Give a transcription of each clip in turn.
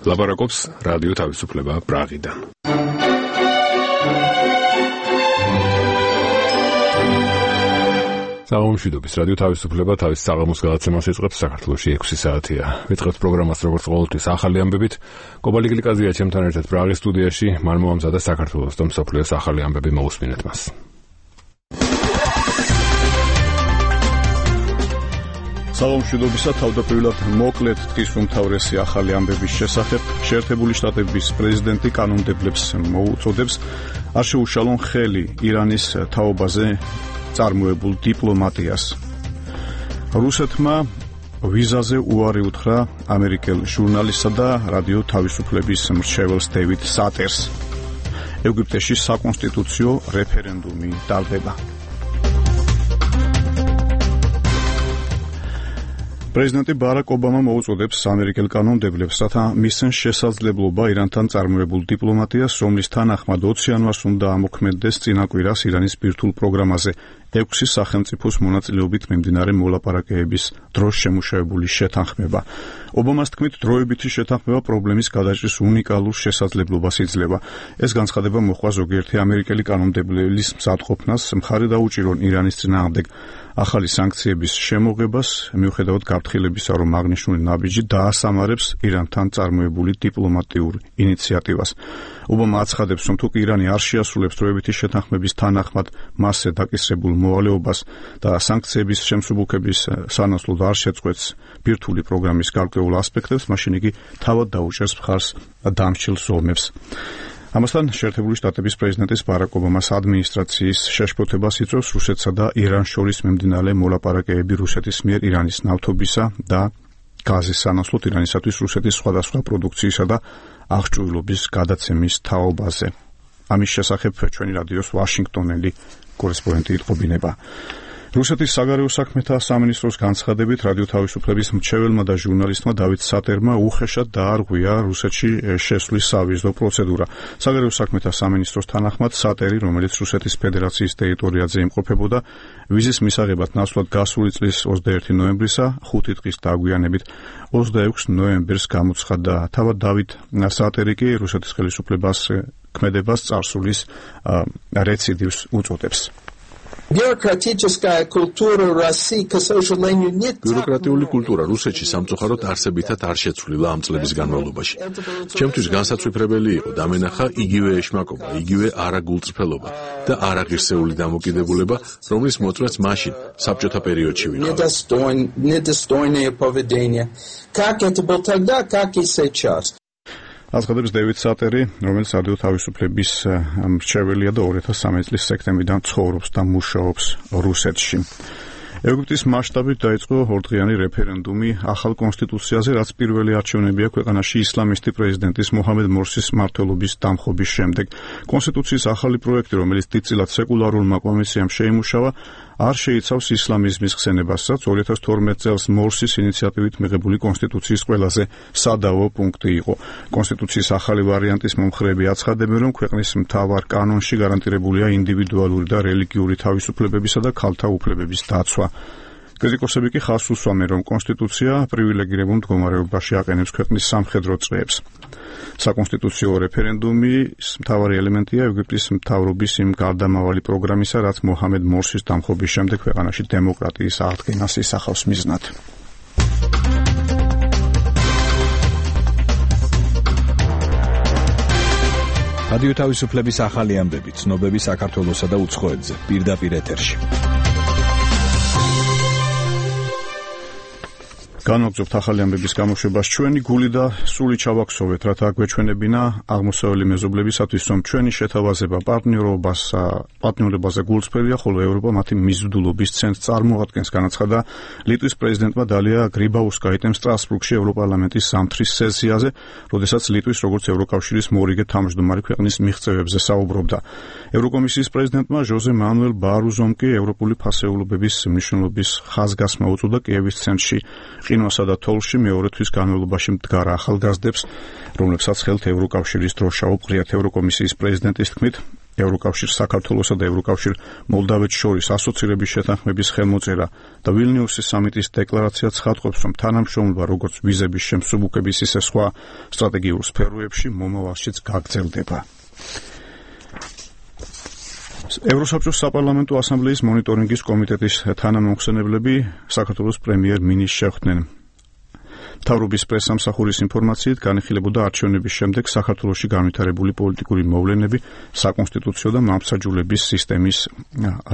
ლაპარაკობს რადიო თავისუფლება პრაღიდან. საღამომშვიდობის რადიო თავისუფლება თავის საღამოს გადაცემას იწყებს. საქართველოში 6 საათია. ვიწყებთ პროგრამას როგორც ყოველთვის ახალი ამბებით. კობალი გლიკაზია ჩემთან ერთად პრაღის სტუდიაში. მან მოამზადა საქართველოს და მსოფლიოს ახალი ამბები, მოусმინეთ მას. საღამომშვიდობისა, თავდაპირველად მოკლედ დღის უმთავრესი ახალი ამბების შესახებ. შეერთებული შტატების პრეზიდენტი კანონმდებლებს მოუწოდებს არ შეუშალონ ხელი ირანის თაობაზე წარმოებულ დიპლომატიას. რუსეთმა ვიზაზე უარი უთხრა ამერიკელ ჟურნალისტსა და რადიო თავისუფლების მრჩეველს დევიდ სატერს. ეგვიპტეში საკონსტიტუციო რეფერენდუმი ტარდება. პრეზიდენტი ბარაკ ობამა მოუწოდებს ამერიკელ კანონმდებლებს, რათა მისცენ შესაძლებლობა ირანთან წარმოებულ დიპლომატიას, რომლის თანახმად 20 იანვარს უნდა ამოქმედდეს წინა კვირას ირანის ბირთვულ პროგრამაზე 6 სახელმწიფოს მონაწილეობით მიმდინარე მოლაპარაკებების დროს შემუშავებული შეთანხმება. ობამას თქმით, დროებითი შეთანხმება პრობლემის გადაჭრის უნიკალურ შესაძლებლობას იძლევა. ეს განცხადება მოჰყვა ზოგიერთი ამერიკელი კანონმდებლების მზადყოფნას, მხარი დაუჭირონ ირანის წინააღმდეგ ახალი სანქციების შემოღებას, მიუხედავად გაფრთხილებისა, რომ აღნიშნული ნაბიჯი დაასამარებს ირანთან წარმოებული დიპლომატიურ ინიციატივას. ობამა აცხადებს, რომ თუ ირანი არ შეასრულებს დროებითი შეთანხმების თანახმად მასზე დაკისრებულ მოვალეობას და სანქციების შემსუბუქების სანაცვლოდ არ შეწყვეტს ბირთვული პროგრამის გარკვეულ ასპექტებს, მაშინ იგი თავად დაუჭერს მხარს დამჭირ ზომებს. ამასთან შეერთებული შტატების პრეზიდენტის ბარაკ ობამას ადმინისტრაციის შეშფოთებას იწვევს რუსეთსა და ირანს შორის მიმდინარე მოლაპარაკებები რუსეთის მიერ ირანის ნავთობისა და გაზის სანაცვლოდ ირანისათვის რუსეთის სხვადასხვა პროდუქციისა და აღჭურვილობის გადაცემის თაობაზე. ამის შესახებ ჩვენი რადიოს ვაშინგტონელი კორესპონდენტი იტყობინება. რუსეთის საგარეო საქმეთა სამინისტროს განცხადებით რადიო თავისუფლების მრჩეველმა და ჟურნალისტმა დავით სატერმა უხეშად დაარღვია რუსეთში შესვლის სავიზო პროცედურა. საგარეო საქმეთა სამინისტროს თანახმად სატერი, რომელიც რუსეთის ფედერაციის ტერიტორიაზე იმყოფებოდა, ვიზის მისაღებად ნაცვლად გასული წლის 21 ნოემბრისა 5 დღის დაგვიანებით 26 ნოემბერს გამოცხადდა. თავად დავით სატერი კი რუსეთის ხელისუფლებას ქმედებას წარსულის რეციდივს უწოდებს. ბიუროკრატიული კულტურა რუსეთში სამწუხაროდ არსებითად არ შეცვლილა ამ წლების განმავლობაში. ჩემთვის განსაცვიფრებელი იყო დამენახა იგივე ეშმაკობა, იგივე არაგულწრფელობა და არაღირსეული დამოკიდებულება, რომლის მოწმეც მაშინ საბჭოთა პერიოდში ვიყავ. აცხადებს დევიდ სატერი, რომელიც რადიო თავისუფლების მრჩეველია და 2013 წლის სექტემბრიდან ცხოვრობს და მუშაობს რუსეთში. ეგვიპტის მასშტაბით დაიწყო ორდღიანი რეფერენდუმი ახალ კონსტიტუციაზე, რაც პირველი არჩევნებია ქვეყანაში ისლამისტი პრეზიდენტის მოჰამედ მორსის მმართველობის დამხობის შემდეგ. კონსტიტუციის ახალი პროექტი, რომელიც დიდწილად სეკულარულმა კომისიამ შეიმუშავა, არ შეიცავს ისლამიზმის ხსენებასაც. 2012 წელს მორსის ინიციატივით მიღებული კონსტიტუციის ყველაზე სადავო პუნქტი იყო. კონსტიტუციის ახალი ვარიანტის მომხრეები აცხადებენ, რომ ქვეყნის მთავარ კანონში გარანტირებულია ინდივიდუალური და რელიგიური თავისუფლებებისა და ქალთა უფლებების დაცვა. კრიტიკოსები კი ხაზს უსვამენ, რომ კონსტიტუცია პრივილეგირებულ მდგომარეობაში აყენებს ქვეყნის სამხედრო წრეებს. საკონსტიტუციო რეფერენდუმის მთავარი ელემენტია ეგვიპტის მთავრობის იმ გარდამავალი პროგრამისა, რაც მოჰამედ მორსის დამხობის შემდეგ ქვეყანაში დემოკრატიის აღდგენას ისახავს მიზნად. რადიო თავისუფლების ახალი ამბები, ცნობები საქართველოსა და უცხოეთზე, პირდაპირ ეთერში. განვაგრძობთ ახალი ამბების გამოშვებას ჩვენი გული და სული ჩავაქსოვეთ, რათა გვეჩვენებინა აღმოსავლელი მეზობლებისათვის, რომ ჩვენი შეთავაზება პარტნიორობაზე გულწრფელია, ხოლო ევროპა მათი მიზიდულობის ცენტრს წარმოადგენს, განაცხადა ლიტვის პრეზიდენტმა დალია გრიბაუსკაიტემ სტრასბურგში ევროპარლამენტის ზამთრის სესიაზე, როდესაც ლიტვის როგორც ევროკავშირის მორიგე თავმჯდომარე ქვეყნის მიღწევებზე საუბრობდა. ევროკომისიის პრეზიდენტმა ჟოზე მანუელ ბარუზომ კი ევროპული ფასეულობების მნიშვნელობის ხაზგასმა უწოდა კიევის ცენტრში ყინვასა და თოვლში მეორე თვის განმავლობაში მდგარ ახალგაზრდებს, რომლებსაც ხელთ ევროკავშირის დროშა უყრიათ ევროკომისიის პრეზიდენტის თქმით, ევროკავშირ საქართველოსა და ევროკავშირ მოლდავეთს შორის ასოცირების შეთანხმების ხელმოწერა და ვილნიუსის სამიტის დეკლარაცია ცხადყოფს, რომ თანამშრომლობა როგორც ვიზების შემსუბუქების, ისე სხვა სტრატეგიულ სფეროებში მომავალშიც გაგრძელდება. ევროსაბჭოს საპარლამენტო ასამბლეის მონიტორინგის კომიტეტის თანამომხსენებლები საქართველოს პრემიერ-მინისტრს შეხვდნენ. მთავრობის პრესსამსახურის ინფორმაციით განიხილებოდა არჩევნების შემდეგ საქართველოში განვითარებული პოლიტიკური მოვლენები, საკონსტიტუციო და მამსაჯულების სისტემის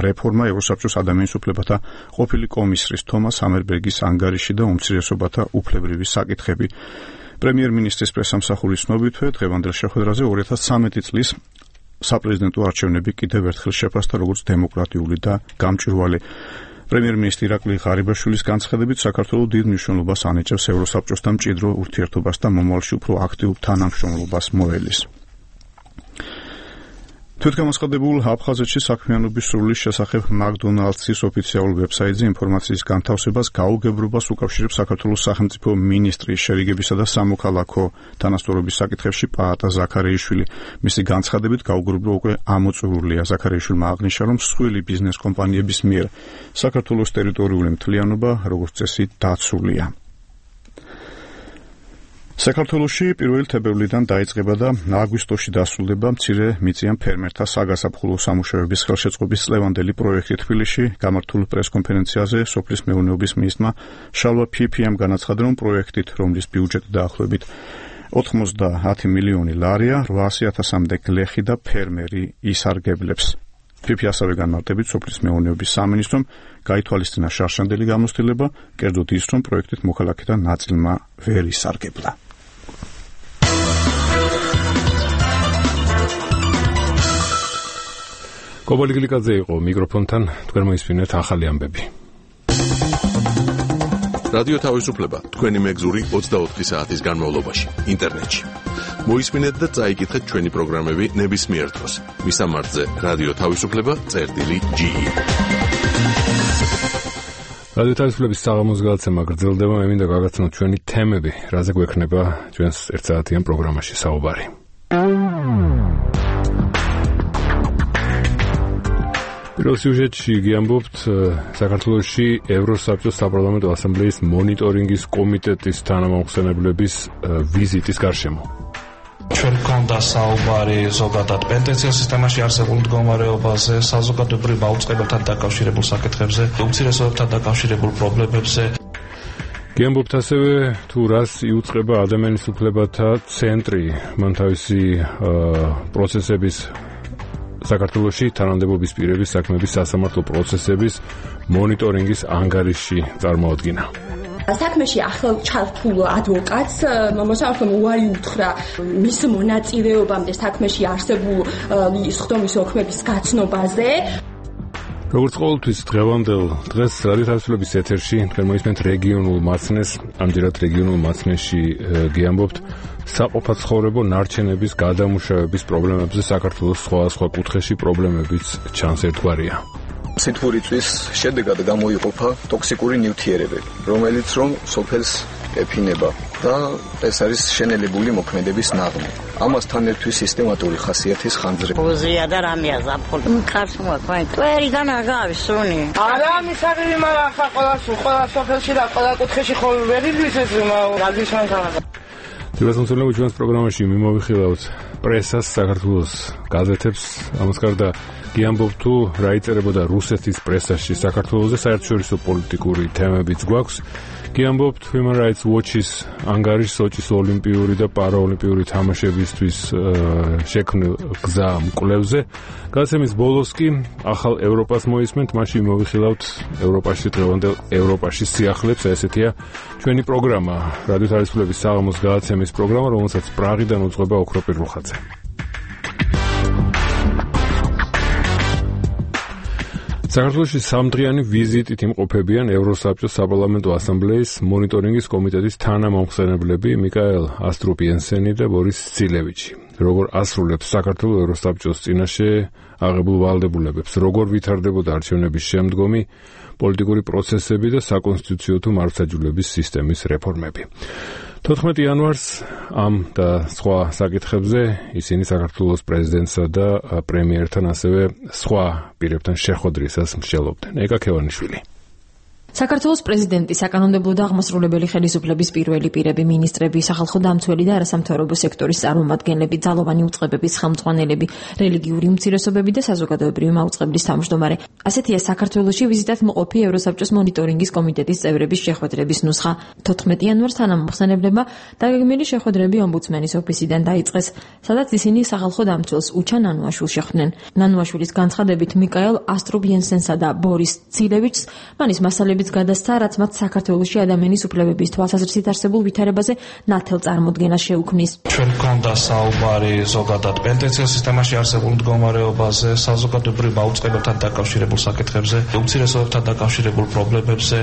რეფორმა, ევროსაბჭოს ადამიანის უფლებათა ყოფილი კომისრის თომას ჰამერბერგის ანგარიში და უმცირესობათა უფლებრივი საკითხები. პრემიერ-მინისტრის პრესსამსახურის ცნობითვე დღევანდელ შეხვედრაზე 2013 წლის საპრეზიდენტო არჩევნები კიდევ ერთხელ შეფასდა როგორც დემოკრატიული და გამჭვირვალე. პრემიერ-მინისტრი ირაკლი ღარიბაშვილის განცხადებით, საქართველოს დიდ მნიშვნელობას ანიჭებს ევროსაბჭოსთან მჭიდრო ურთიერთობას და მომავალში უფრო აქტიურ თანამშრომლობას მოელის. თვითგამოცხადებულ აფხაზეთში საქმიანობის სრულის შესახებ მაკდონალდსის ოფიციალურ ვებსაიტზე ინფორმაციის განთავსებას გაუგებრობას უკავშირებს საქართველოს სახელმწიფო მინისტრი შერიგებისა და სამოქალაქო თანასწორობის საკითხებში პაატა ზაქარეიშვილი. მისი განცხადებით გაუგებრობა უკვე ამოწურულია. ზაქარეიშვილმა აღნიშნა, რომ მსხვილი ბიზნეს კომპანიების მიერ საქართველოს ტერიტორიული მთლიანობა როგორც წესი დაცულია. საქართველოში 1 თებერვლიდან დაიწყება და აგვისტოში დასრულდება მცირე მიწიან ფერმერთა საგაზაფხულო სამუშაოების ხელშეწყობის წლევანდელი პროექტი თბილისში. გამართულ პრესკონფერენციაზე სოფლის მეურნეობის მინისტრმა შალვა ფიფიამ განაცხადა, რომ პროექტით, რომლის ბიუჯეტი დაახლოებით 90 მილიონი ლარია, 800,000-მდე გლეხი და ფერმერი ისარგებლებს. ფიფი ასევე განმარტებით სოფლის მეურნეობის სამინისტრომ გაითვალისწინა შარშანდელი გამოცდილება, კერძოდ ის, რომ პროექტით მოქალაქეთა ნაწილმა ვერ ისარგებლა. კობალი გლიკაძე იყო მიკროფონთან, თქვენ მოისმინეთ ახალი ამბები. რადიო თავისუფლება, თქვენი მეგზური 24 საათის განმავლობაში, ინტერნეტში. მოისმინეთ და წაიკითხეთ ჩვენი პროგრამები ნებისმიერ დროს. მისამართზე რადიო თავისუფლება.ge. რადიო თავისუფლების საღამოს გადაცემა გრძელდება, მე მინდა გაგაცნოთ ჩვენი თემები, რაზე გვექნება ჩვენს ერთსაათიან პროგრამაში საუბარი. პირველ სიუჟეტში გიამბობთ საქართველოში ევროსაბჭოს საპარლამენტო ასამბლეის მონიტორინგის კომიტეტის თანამომხსენებლების ვიზიტის გარშემო. ჩვენ გვქონდა საუბარი ზოგადად პენტენსიო სისტემაში არსებულ მდგომარეობაზე, საზოგადოებრივ აუწყებებთან დაკავშირებულ საკითხებზე, უმცირესობებთან დაკავშირებულ პრობლემებზე. გიამბობთ ასევე თუ რას იუწყება ადამიანის უფლებათა ცენტრი, მან თავისი პროცესების საქართველოში თანამდებობის პირების საქმეების სასამართლო პროცესების მონიტორინგის ანგარიში წარმოადგინა. საქმეში ახალ ჩართულ ადვოკატს მოსამართლომ უარი უთხრა მის მონაწილეობამდე საქმეში არსებული სხდომის ოქმების გაცნობაზე. როგორც ყოველთვის დღევანდელ დღეს რადიო თავისუფლების ეთერში თქვენ მოისმენთ რეგიონულ მაცნეს, ამჯერად რეგიონულ მაცნეში გიამბობთ საყოფაცხოვრებო ნარჩენების გადამუშავების პრობლემებზე საქართველოს სხვადასხვა კუთხეში პრობლემებიც ჩანს ერთგვარია. სითბურიწვის შედეგად გამოიყოფა ტოქსიკური ნივთიერებები, რომელიც რომ სოფელს ეფინება და ეს არის შენელებული მოქმედების ნაღმი. ამასთან ერთვის სისტემატური ხასიათის ხანძრება. უზია და რამეა ზაფხული. კარს მოაქვენ. ტვერიდან არ გავისუნი. არა მისაღები მაგრამ ხა ყველა სოფელში და ყველა კუთხეში ხო ვერ იდვის ეს გაგიშან თანაბა. თვითონცოლები ჩვენს პროგრამაში მიმოვიხილავთ პრესას, საქართველოს გაზეთებს, ამას გარდა გიამბობთ თუ რა იწერებოდა რუსეთის პრესაში საქართველოზე, საერთაშორისო პოლიტიკური თემებიც გვაქვს. გიამბობთ Human Rights Watch-ის ანგარიშს სოჭის ოლიმპიური და პარაოლიმპიური თამაშებისთვის შექმნილ გზა მკვლევზე. გადაცემის ბოლოს კი ახალ ევროპას მოისმენთ, მაშინ მოვიხილავთ ევროპაში დღევანდელ ევროპაში სიახლებს, ესეთია ჩვენი პროგრამა, რადიო თავისუფლების საღამოს გადაცემის პროგრამა, რომელსაც პრაღიდან უძღვება ოქროპირ რუხაძე. საქართველოში სამდღიანი ვიზიტით იმყოფებიან ევროსაბჭოს საპარლამენტო ასამბლეის მონიტორინგის კომიტეტის თანამომხსენებლები მიკაელ ასტრუპიენსენი და ბორის ცილევიჩი. Როგორ ასრულებს საქართველოს ევროსაბჭოს წინაშე აღებულ ვალდებულებებს, როგორ ვითარდებოდა არჩევნების შემდგომი პოლიტიკური პროცესები და საკონსტიტუციო თუ მართლმსაჯულების სისტემის რეფორმები. 14 იანვარს ამ და სხვა საკითხებზე ისინი საქართველოს პრეზიდენტსა და პრემიერთან ასევე სხვა პირებთან შეხვედრისას მსჯელობდნენ. ეკა ქევანიშვილი. საქართველოს პრეზიდენტი, საკანონმდებლო და აღმასრულებელი ხელისუფლების პირველი პირები, მინისტრები, სახალხო დამცველი და არასამთავრობო სექტორის წარმომადგენლები, ძალოვანი უწყებების ხელმძღვანელები, რელიგიური უმცირესობები და საზოგადოებრივი მაუწყებლის თავმჯდომარე. ასეთია საქართველოში ვიზიტად მყოფი ევროსაბჭოს მონიტორინგის კომიტეტის წევრების შეხვედრების ნუსხა. 14 იანვარს თანამომხსენებლებმა დაგეგმილი შეხვედრები ომბუდსმენის ოფისიდან დაიწყეს, სადაც ისინი სახალხო დამცველს უჩა ნანუაშვილს შეხვდნენ. ნანუაშვილის განცხადებით მიკაელ ასტრუპიენსენსა და ბორის ცილევიჩს მანის მასალები გადასცა, რაც მათ საქართველოში ადამიანის უფლებების თვალსაზრისით არსებულ ვითარებაზე ნათელ წარმოდგენას შეუქმნის. ჩვენ გვქონდა საუბარი ზოგადად პენტენციურ სისტემაში არსებულ მდგომარეობაზე, საზოგადოებრივ აუწყებებთან დაკავშირებულ საკითხებზე, უმცირესობებთან დაკავშირებულ პრობლემებზე,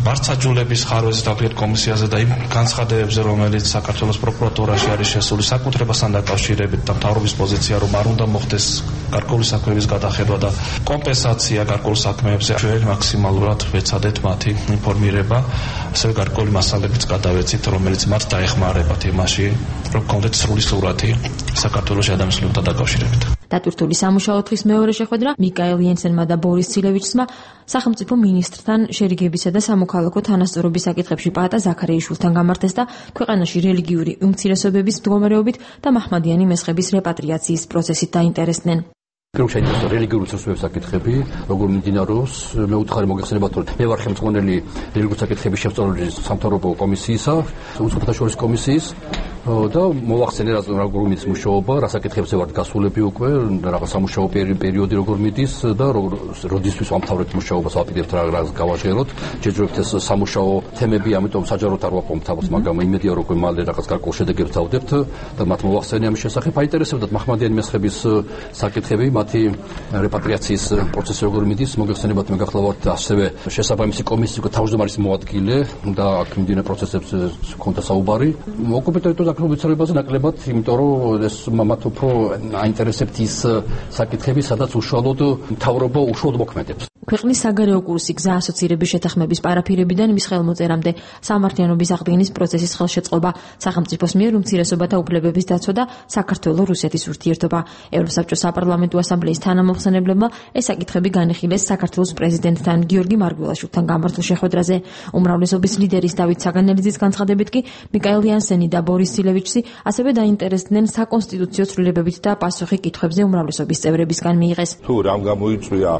მართლმსაჯულების ხარვეზე თავად კომისიაზე და იმ განცხადებებზე, რომელიც საქართველოს პროკურატურაში არის შესული საკუთრებასთან დაკავშირებით და მთავრობის პოზიცია, რომ არ უნდა მოხდეს გარკვეული საქმეების გადახედვა და კომპენსაცია გარკვეულ საქმეებზე, ჩვენ მაქსიმალურად ვეცადეთ მათი ინფორმირება, ასევე გარკვეული მასალებიც გადავეცით, რომელიც მათ დაეხმარებათ იმაში, რომ გქონდეთ სრული სურათი საქართველოს ადამიანის უფლებებთან დაკავშირებით. დატვირთული სამუშაო თხის მეორე შეხვედრა მიკაელ იენსენმა და ბორის ცილევიჩსმა სახელმწიფო მინისტრთან შერიგებისა და სამოქალაქო თანასწორობის საკითხებში პაატა ზაქარიაშვილთან გამართეს და ქვეყანაში რელიგიური უმცირესობების მდგომარეობით და მაჰმადიანი მესხების რეპატრიაციის პროცესით დაინტერესდნენ. Საინტერესო რელიგიური უმცირესობების საკითხები, როგორ მიმდინარეობს, მე უთხარი მოგეხსენებათ, რომ მე ვარ ხელმძღვანელი რელიგიური საკითხების შემსწავლების სამთავრობო კომისიისა, უცხოთა შორის კომისიის და მოვახსენე როგორ მიდის მუშაობა, რა საკითხებზე ვართ გასულები უკვე, რაღაც სამუშაო პერიოდი როგორ მიდის და როდისთვის ვამთავრებთ მუშაობას, ვაპირებთ რა გავაჟღეროთ, ჯერჯერობით ეს სამუშაო თემები, ამიტომ საჯაროდ არ ვაპოვებთ თავს, მაგრამ იმედია რომ მალე რაღაც გარკვეულ შედეგებს ავდებთ და მათ მოვახსენე ამ შესახებ. აინტერესებდათ მაჰმადიანი მესხების საკითხები, მათი რეპატრიაციის პროცესი როგორ მიდის, მოგეხსენებათ მე გახლავართ ასევე შესაბამისი კომისიის თავმჯდომარის მოადგილე და აქ მიმდინარე პროცესებზე ჰქონდა საუბარი. ოკუპირებულ ტერიტორიაზე ვითარებაზე ნაკლებად, იმიტომ რომ ეს მათ უფრო აინტერესებთ ის საკითხები, სადაც უშუალოდ მთავრობა უშუალოდ მოქმედებს. ქვეყნის საგარეო კურსი გზა ასოცირების შეთანხმების პარაფირებიდან მის ხელმოწერამდე სამართლიანობის აღდგენის პროცესის ხელშეწყობა, სახელმწიფოს მიერ უმცირესობათა უფლებების დაცვა და საქართველოს-რუსეთის ურთიერთობა. ევროსაბჭოს საპარლამენტო ასამბლეის თანამომხსენებლებმა ეს საკითხები განიხილეს საქართველოს პრეზიდენტთან გიორგი მარგველაშვილთან გამართულ შეხვედრაზე. უმრავლესობის ლიდერის დავით საგანელიძის განცხადებით კი მიკაელ იენსენი და ბორის ცილევიჩსი ასევე დაინტერესდნენ საკონსტიტუციო ცვლილებებით და პასუხი კითხვებზე უმრავლესობის წევრებისგან მიიღეს. თუ რამ გამოიწვია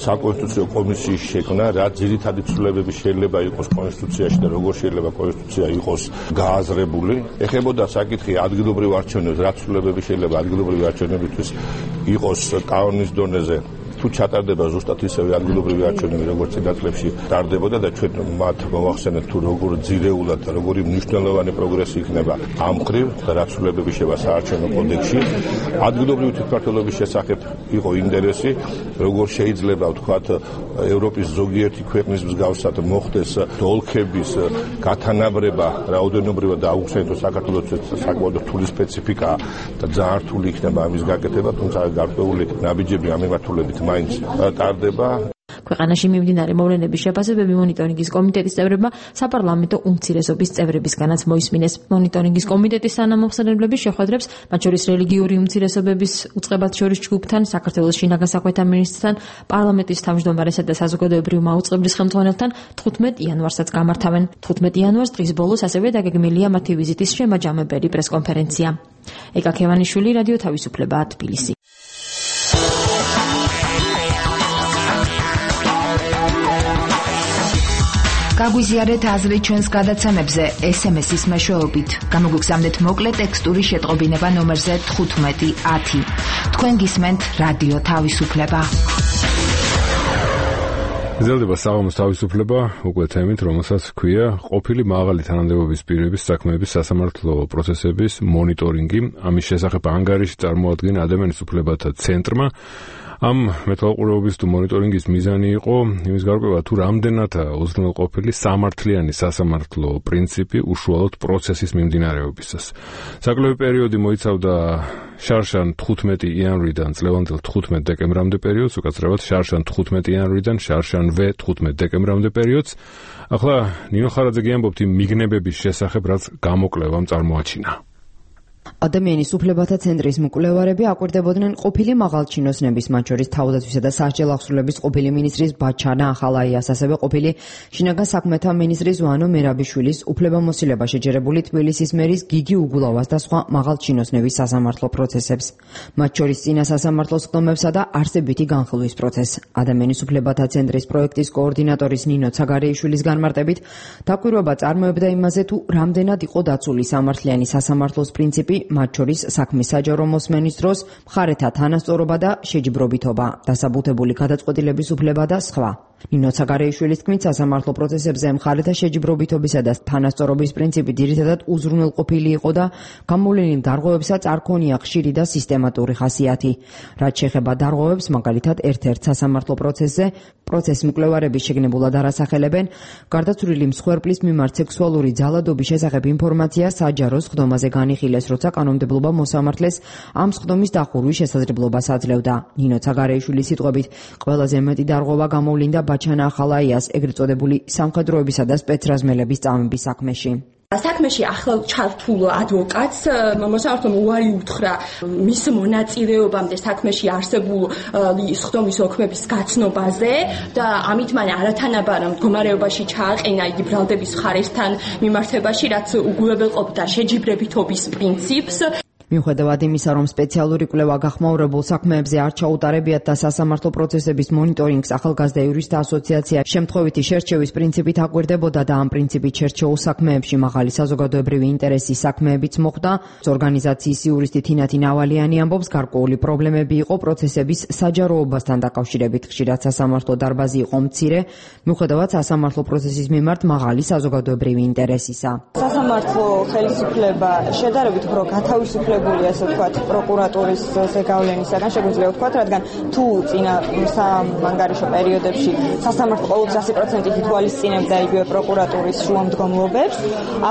საკონსტიტუციო კომისიის შექმნა, რა ძირითადი ცვლილებები შეიძლება იყოს კონსტიტუციაში და როგორ შეიძლება კონსტიტუცია იყოს გააზრებული, ეხებოდა საკითხი ადგილობრივ არჩევნებს, რა ცვლილებები შეიძლება ადგილობრივი არჩევნებისთვის იყოს კანონის დონეზე. თუ ჩატარდება ზუსტად ისევე ადგილობრივი არჩევნები, როგორც წინა წლებში ტარდებოდა და ჩვენ მათ მოვახსენეთ თუ როგორ ძირეულად და როგორი მნიშვნელოვანი პროგრესი იქნება ამ მხრივ და რა ცვლილებები შევა საარჩევნო კოდექსში. ადგილობრივი თვითმმართველობის შესახებ იყო ინტერესი, როგორ შეიძლება ვთქვათ ევროპის ზოგიერთი ქვეყნის მსგავსად მოხდეს ოლქების გათანაბრება რაოდენობრივად და აუხსენებთ საქართველოს საკმაოდ რთული სპეციფიკა და ძალიან რთული იქნება ამის გაკეთება, თუმცა გარკვეული ნაბიჯები ამ მიმართულებით მაინც ტარდება. ქვეყანაში მიმდინარე მოვლენების შეფასებები მონიტორინგის კომიტეტის წევრებმა საპარლამენტო უმცირესობის წევრებისგანაც მოისმინეს. მონიტორინგის კომიტეტის თანამომხსენებლების შეხვედრებს, მათ შორის რელიგიური უმცირესობების უწყებათ შორის ჯგუფთან, საქართველოს შინაგან საქმეთა მინისტრთან, პარლამენტის თავმჯდომარესა და საზოგადოებრივი მაუწყებლის ხელმძღვანელთან 15 იანვარსაც გამართავენ. 15 იანვარს დღის ბოლოს ასევე დაგეგმილია მათი ვიზიტის შემაჯამებელი პრესკონფერენცია. ეკა ქევანიშვილი, რადიო თავისუფლება, თბილისი. გაგვიზიარეთ აზრი ჩვენს გადაცემებზე SMS-ის მეშვეობით. გამოგვიგზავნეთ მოკლე ტექსტური შეტყობინება ნომერზე 1510. თქვენ გისმენთ რადიო თავისუფლება. გრძელდება საღამოს თავისუფლება, უკვე თემით, რომელსაც ჰქვია ყოფილი მაღალი თანამდებობის პირების საქმეების სასამართლო პროცესების მონიტორინგი. ამის შესახებ ანგარიში წარმოადგენს ადამიანის უფლებათა ცენტრმა. ამ მეთვალყურეობის თუ მონიტორინგის მიზანი იყო იმის გარკვევა, თუ რამდენად უზრუნველყოფილი სამართლიანი სასამართლო პრინციპი უშუალოდ პროცესის მიმდინარეობისას. საკლები პერიოდი მოიცავდა შარშან 15 იანვრიდან წლევანდელ 15 დეკემბრამდე პერიოდს, უკაცრავად შარშან 15 იანვრიდან შარშანვე 15 დეკემბრამდე პერიოდს. ახლა ნინო ხარაძე გიამბობთ იმ მიგნებების შესახებ, რაც გამოკვლევამ წარმოაჩინა. ადამიანის უფლებათა ცენტრის მკვლევარები აკვირდებოდნენ ყოფილი მაღალჩინოსნების, მათ შორის თავდაცვისა და სასჯელ აღსრულების ყოფილი მინისტრის ბაჩანა ახალაიას, ასევე ყოფილი შინაგან საქმეთა მინისტრის ვანო მერაბიშვილის უფლებამოსილება შეჯერებული თბილისის მერის გიგი უგულავას და სხვა მაღალჩინოსნების სასამართლო პროცესებს, მათ შორის წინა სასამართლო სხდომებსა და არსებითი განხილვის პროცესს. ადამიანის უფლებათა ცენტრის პროექტის კოორდინატორის ნინო ცაგარეიშვილის განმარტებით, დაკვირვება წარმოებდა იმაზე, თუ რამდენად იყო დაცული სამართლიანი სასამართლოს პრინციპი, მათ შორის საქმის საჯარო მოსმენის დროს მხარეთა თანასწორობა და შეჯიბრობითობა, დასაბუთებული გადაწყვეტილების უფლება და სხვა. ნინო ცაგარეიშვილის თქმით, სასამართლო პროცესებზე მხარეთა შეჯიბრობითობისა და თანასწორობის პრინციპი ძირითადად უზრუნველყოფილი იყო და გამოვლენილ დარღვევებსაც არ ქონია ხშირი და სისტემატური ხასიათი. რაც შეეხება დარღვევებს, მაგალითად, ერთ-ერთ სასამართლო პროცესზე პროცესის მკვლევარების შეგნებულად არასახელებენ გარდაცვლილი მსხვერპლის მიმართ სექსუალური ძალადობის შესახებ ინფორმაცია საჯარო სხდომაზე განიხილეს, როცა კანონმდებლობა მოსამართლეს ამ სხდომის დახურვის შესაძლებლობას აძლევდა. ნინო ცაგარეიშვილის სიტყვებით, ყველაზე მეტი დარღვევა გამოვლინდა ბაჩანა ახალაიას, ეგრეთ წოდებული სამხედროებისა და სპეცრაზმელების წამების საქმეში. საქმეში ახალ ჩართულ ადვოკატს მოსამართლომ უარი უთხრა მის მონაწილეობამდე საქმეში არსებული სხდომის ოქმების გაცნობაზე და ამით მან არათანაბარ მდგომარეობაში ჩააყენა იგი ბრალდების მხარესთან მიმართებაში, რაც უგულებელყოფდა შეჯიბრებითობის პრინციპს. მიუხედავად იმისა, რომ სპეციალური კვლევა გახმაურებულ საქმეებზე არ ჩაუტარებიათ და სასამართლო პროცესების მონიტორინგს ახალგაზრდა იურისტთა ასოციაცია შემთხვევითი შერჩევის პრინციპით აკვირდებოდა და ამ პრინციპით შერჩეულ საქმეებში მაღალი საზოგადოებრივი ინტერესის საქმეებიც მოხდა, ორგანიზაციის იურისტი თინათი ნავალიანი ამბობს, გარკვეული პრობლემები იყო პროცესების საჯაროობასთან დაკავშირებით, ხშირად სასამართლო დარბაზი იყო მცირე, მიუხედავად სასამართლო პროცესის მიმართ მაღალი საზოგადოებრივი ინტერესისა. სასამართლო ხელისუფლება შედარებით უფრო გათავისუფლებული, ასე ვთქვათ, პროკურატურის ზეგავლენისაგან შეგვიძლია ვთქვათ, რადგან თუ წინა სამანგარიშო პერიოდებში სასამართლო ყოველთვის 100% ითვალისწინებდა იგივე პროკურატურის შუამდგომლობებს,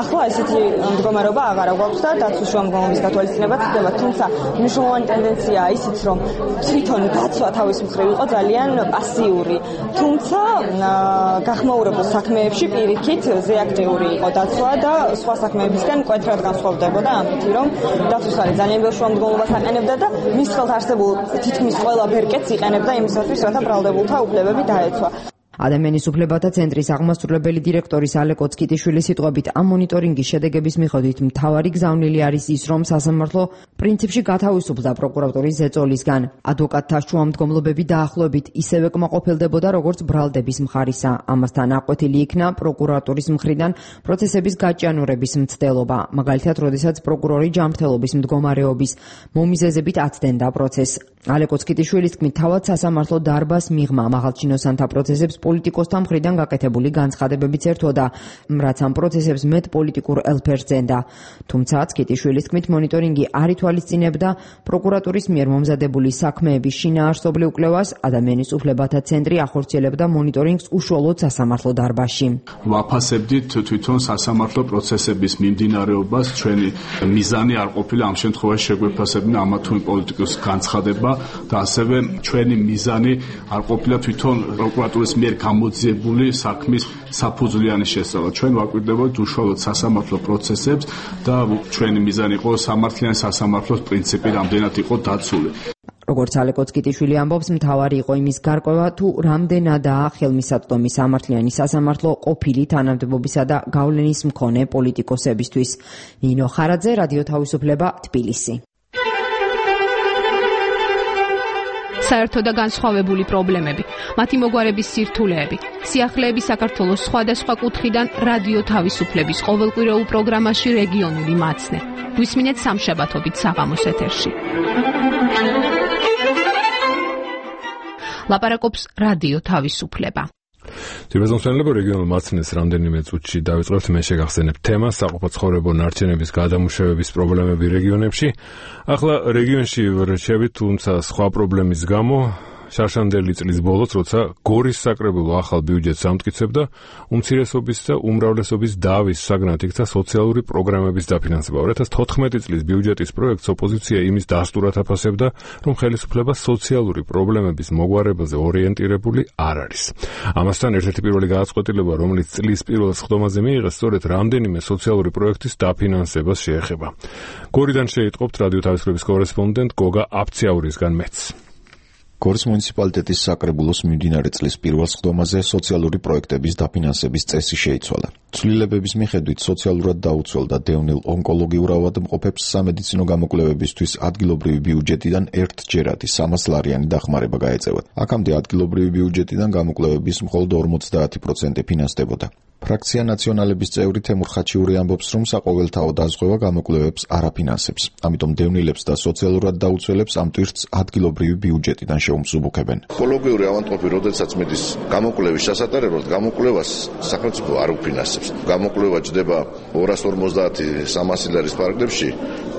ახლა ესეთი მდგომარეობა აღარ გვაქვს და დაცვის შუამდგომლობის გათვალისწინება ხდება, თუმცა მნიშვნელოვანი ტენდენციაა ისიც, რომ თვითონ დაცვა თავის მხრივ იყო ძალიან პასიური, თუმცა გახმაურებულ საქმეებში პირიქით ზეაქტიური იყო დაცვა და სხვა საქმეებისგან მკვეთრად განსხვავდებოდა ამით, რომ დაცვის ძალიან ბევრ შუამდგომლობას აყენებდა და მის ხელთ არსებულ თითქმის ყველა ბერკეტს იყენებდა იმისათვის, რათა ბრალდებულთა უფლებები დაეცვა. ადამიანის უფლებათა ცენტრის აღმასრულებელი დირექტორის ალე კოცკიტიშვილის სიტყვებით, ამ მონიტორინგის შედეგების მიხედვით მთავარი გზავნილი არის ის, რომ სასამართლო პრინციპში გათავისუფლდა პროკურატურის ზეწოლისგან. ადვოკატთა შუამდგომლობები დაახლოებით ისევე კმაყოფილდებოდა, როგორც ბრალდების მხარისა. ამასთან აკვეთილი იქნა პროკურატურის მხრიდან პროცესების გაჭიანურების მცდელობა. მაგალითად, როდესაც პროკურორი ჯანმრთელობის მდგომარეობის მომიზეზებით აცდენდა პროცესს. ალე კოცკიტიშვილის თქმით, თავად სასამართლო დარბაზს მიღმა მაღალჩინოსანთა პროცესებს პოლიტიკოსთა მხრიდან გაკეთებული განცხადებებიც ერთვოდა, რაც ამ პროცესებს მეტ პოლიტიკურ ელფერს ზენდა. თუმცა კიტიშვილის თქმით, მონიტორინგი არ ითვალისწინებდა პროკურატურის მიერ მომზადებული საქმეების შინაარსობრივ კვლევას, ადამიანის უფლებათა ცენტრი ახორციელებდა მონიტორინგს უშუალოდ სასამართლო დარბაზში. ვაფასებდით თვითონ სასამართლო პროცესების მიმდინარეობას, ჩვენი მიზანი არ ყოფილა ამ შემთხვევაში შეგვეფასებინა ამა თუ იმ პოლიტიკოს განცხადება და ასევე ჩვენი მიზანი არ ყოფილა თვითონ პროკურატურის მიერ გამოძიებული საქმის საფუძვლიანი შესწავლა. ჩვენ ვაკვირდებოდით უშუალოდ სასამართლო პროცესებს და ჩვენი მიზანი იყო სამართლიანი სასამართლოს პრინციპი რამდენად იყო დაცული. როგორც ალე კოცკიტიშვილი ამბობს, მთავარი იყო იმის გარკვევა, თუ რამდენადაა ხელმისაწვდომი სამართლიანი სასამართლო ყოფილი თანამდებობისა და გავლენის მქონე პოლიტიკოსებისთვის. ნინო ხარაძე, რადიო თავისუფლება, თბილისი. საერთო და განსხვავებული პრობლემები, მათი მოგვარების სირთულეები, სიახლეები საქართველოს სხვადასხვა კუთხიდან რადიო თავისუფლების ყოველკვირეულ პროგრამაში რეგიონული მაცნე. გვისმინეთ სამშაბათობით საღამოს ეთერში. ლაპარაკობს რადიო თავისუფლება. ძირფესმცემლებო რეგიონულ მაცნეს რამდენიმე წუთში დავიწყებთ, მე შეგახსენებ თემას საყოფაცხოვრებო ნარჩენების გადამუშავების პრობლემები რეგიონებში. ახლა რეგიონში ვრჩებით, თუმცა სხვა პრობლემის გამო შარშანდელი წლის ბოლოს, როცა გორის საკრებულო ახალ ბიუჯეტს ამტკიცებდა, უმცირესობის და უმრავლესობის დავის საგნად იქცა სოციალური პროგრამების დაფინანსება. 2014 წლის ბიუჯეტის პროექტს ოპოზიცია იმის დასტურად აფასებდა, რომ ხელისუფლება სოციალური პრობლემების მოგვარებაზე ორიენტირებული არ არის. ამასთან ერთ-ერთი პირველი გადაწყვეტილება, რომელიც წლის პირველ სხდომაზე მიიღეს, სწორედ რამდენიმე სოციალური პროექტის დაფინანსებას შეეხება. გორიდან შეიტყობთ რადიო თავისუფლების კორესპონდენტ გოგა აფციაურისგან მეც. გორის მუნიციპალიტეტის საკრებულოს მიმდინარე წლის პირველ სხდომაზე სოციალური პროექტების დაფინანსების წესი შეიცვალა. ცვლილებების მიხედვით სოციალურად დაუცველდა დევნილ ონკოლოგიურ ავადმყოფებს სამედიცინო გამოკვლევებისთვის ადგილობრივი ბიუჯეტიდან ერთჯერადი 300 ლარიანი დახმარება გაეწევათ. აქამდე ადგილობრივი ბიუჯეტიდან გამოკვლევების მხოლოდ 50% ფინანსდებოდა. ფრაქცია ნაციონალების წევრი თემურ ხაჩიური ამბობს, რომ საყოველთაო დაზღვევა გამოკვლევებს არ აფინანსებს. ამიტომ დევნილებს და სოციალურად დაუცველებს ამ ტვირთს ადგილობრივი ბიუჯეტიდან შეუმსუბუქებენ. ონკოლოგიური ავადმყოფი, როდესაც მიდის გამოკვლევის ჩასატარებლად, გამოკვლევას სახელმწიფო არ უფინანსებს. გამოკვლევა ჯდება 250-300 ლარის ფარგლებში.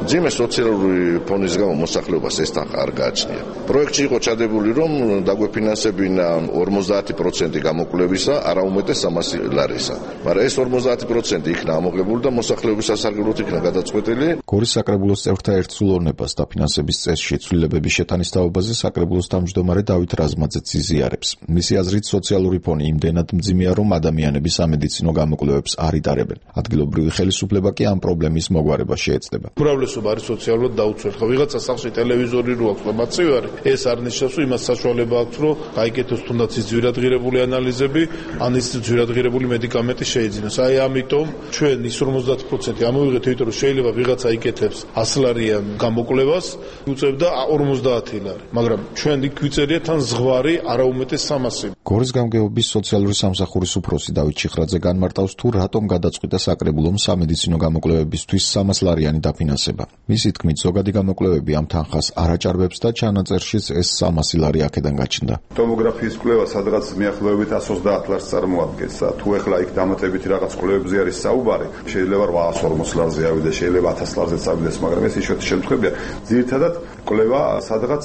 ძიმე სოციალური ფონის გამო მოსახლეობას ეს თანხა არ გააჩნია. პროექტში იყო ჩადებული, რომ დაგვეფინანსებინა 50% გამოკვლევისა, არა უმეტეს 300 ლარისა. მაგრამ ეს 50% იქნა ამოღებული და მოსახლეობის სასარგებლოდ იქნა გადაწყვეტილი. გორის საკრებულოს წევრთა ერთსულოვნებას დაფინანსების წესში ცვლილებების შეტანის თაობაზე საკრებულოს თავმჯდომარე დავით რაზმაძეც იზიარებს. მისი აზრით, სოციალური ფონი იმდენად მძიმეა, რომ ადამიანები სამედიცინო გამოკვლევებს არ იტარებენ. ადგილობრივი ხელისუფლება კი ამ პრობლემის მოგვარებას შეეცდება. უმრავლესობა არის სოციალურად დაუცველი. ხო, ვიღაცა სახლში ტელევიზორი რო აქვს, მაცივი არის, ეს არ ნიშნავს, რომ იმას საშუალება აქვს, რომ გაიგეთოს თუნდაც ის ძვირადღირებული ანალიზები, ან ის ძვირადღირებული მედიკამენტი შეიძინოს. აი ამიტომ ჩვენ ის 50% ამოვიღეთ, იმიტომ რომ შეიძლება ვიღაცა იკეთებს 100 ლარიან გამოკვლევას, უწევდა 50 ლარი. მაგრამ ჩვენ იქ ვიწერია თან ზღვარი არა უმეტეს 300. გორის გამგეობის სოციალური სამსახურის უფროსი დავით ჩიხრაძე განმარტავს, თუ რატომ გადაწყვიტა საკრებულომ სამედიცინო გამოკვლევებისთვის 300 ლარიანი დაფინანსება. მისი თქმით, ზოგადი გამოკვლევები ამ თანხას არ აჭარბებს და ჩანაწერშიც ეს 300 ლარი აქედან გაჩნდა. ტომოგრაფიის კვლევა სადღაც მიახლოებით 130 ლარს წარმოადგენს. თუ ეხლა იქ დამატებითი რაღაც კვლევებზე არის საუბარი, შეიძლება 840 ლარზე ავიდეს, შეიძლება 1000 ლარზეც ავიდეს, მაგრამ ეს იშვიათი შემთხვევებია. ძირითადად კვლევა სადღაც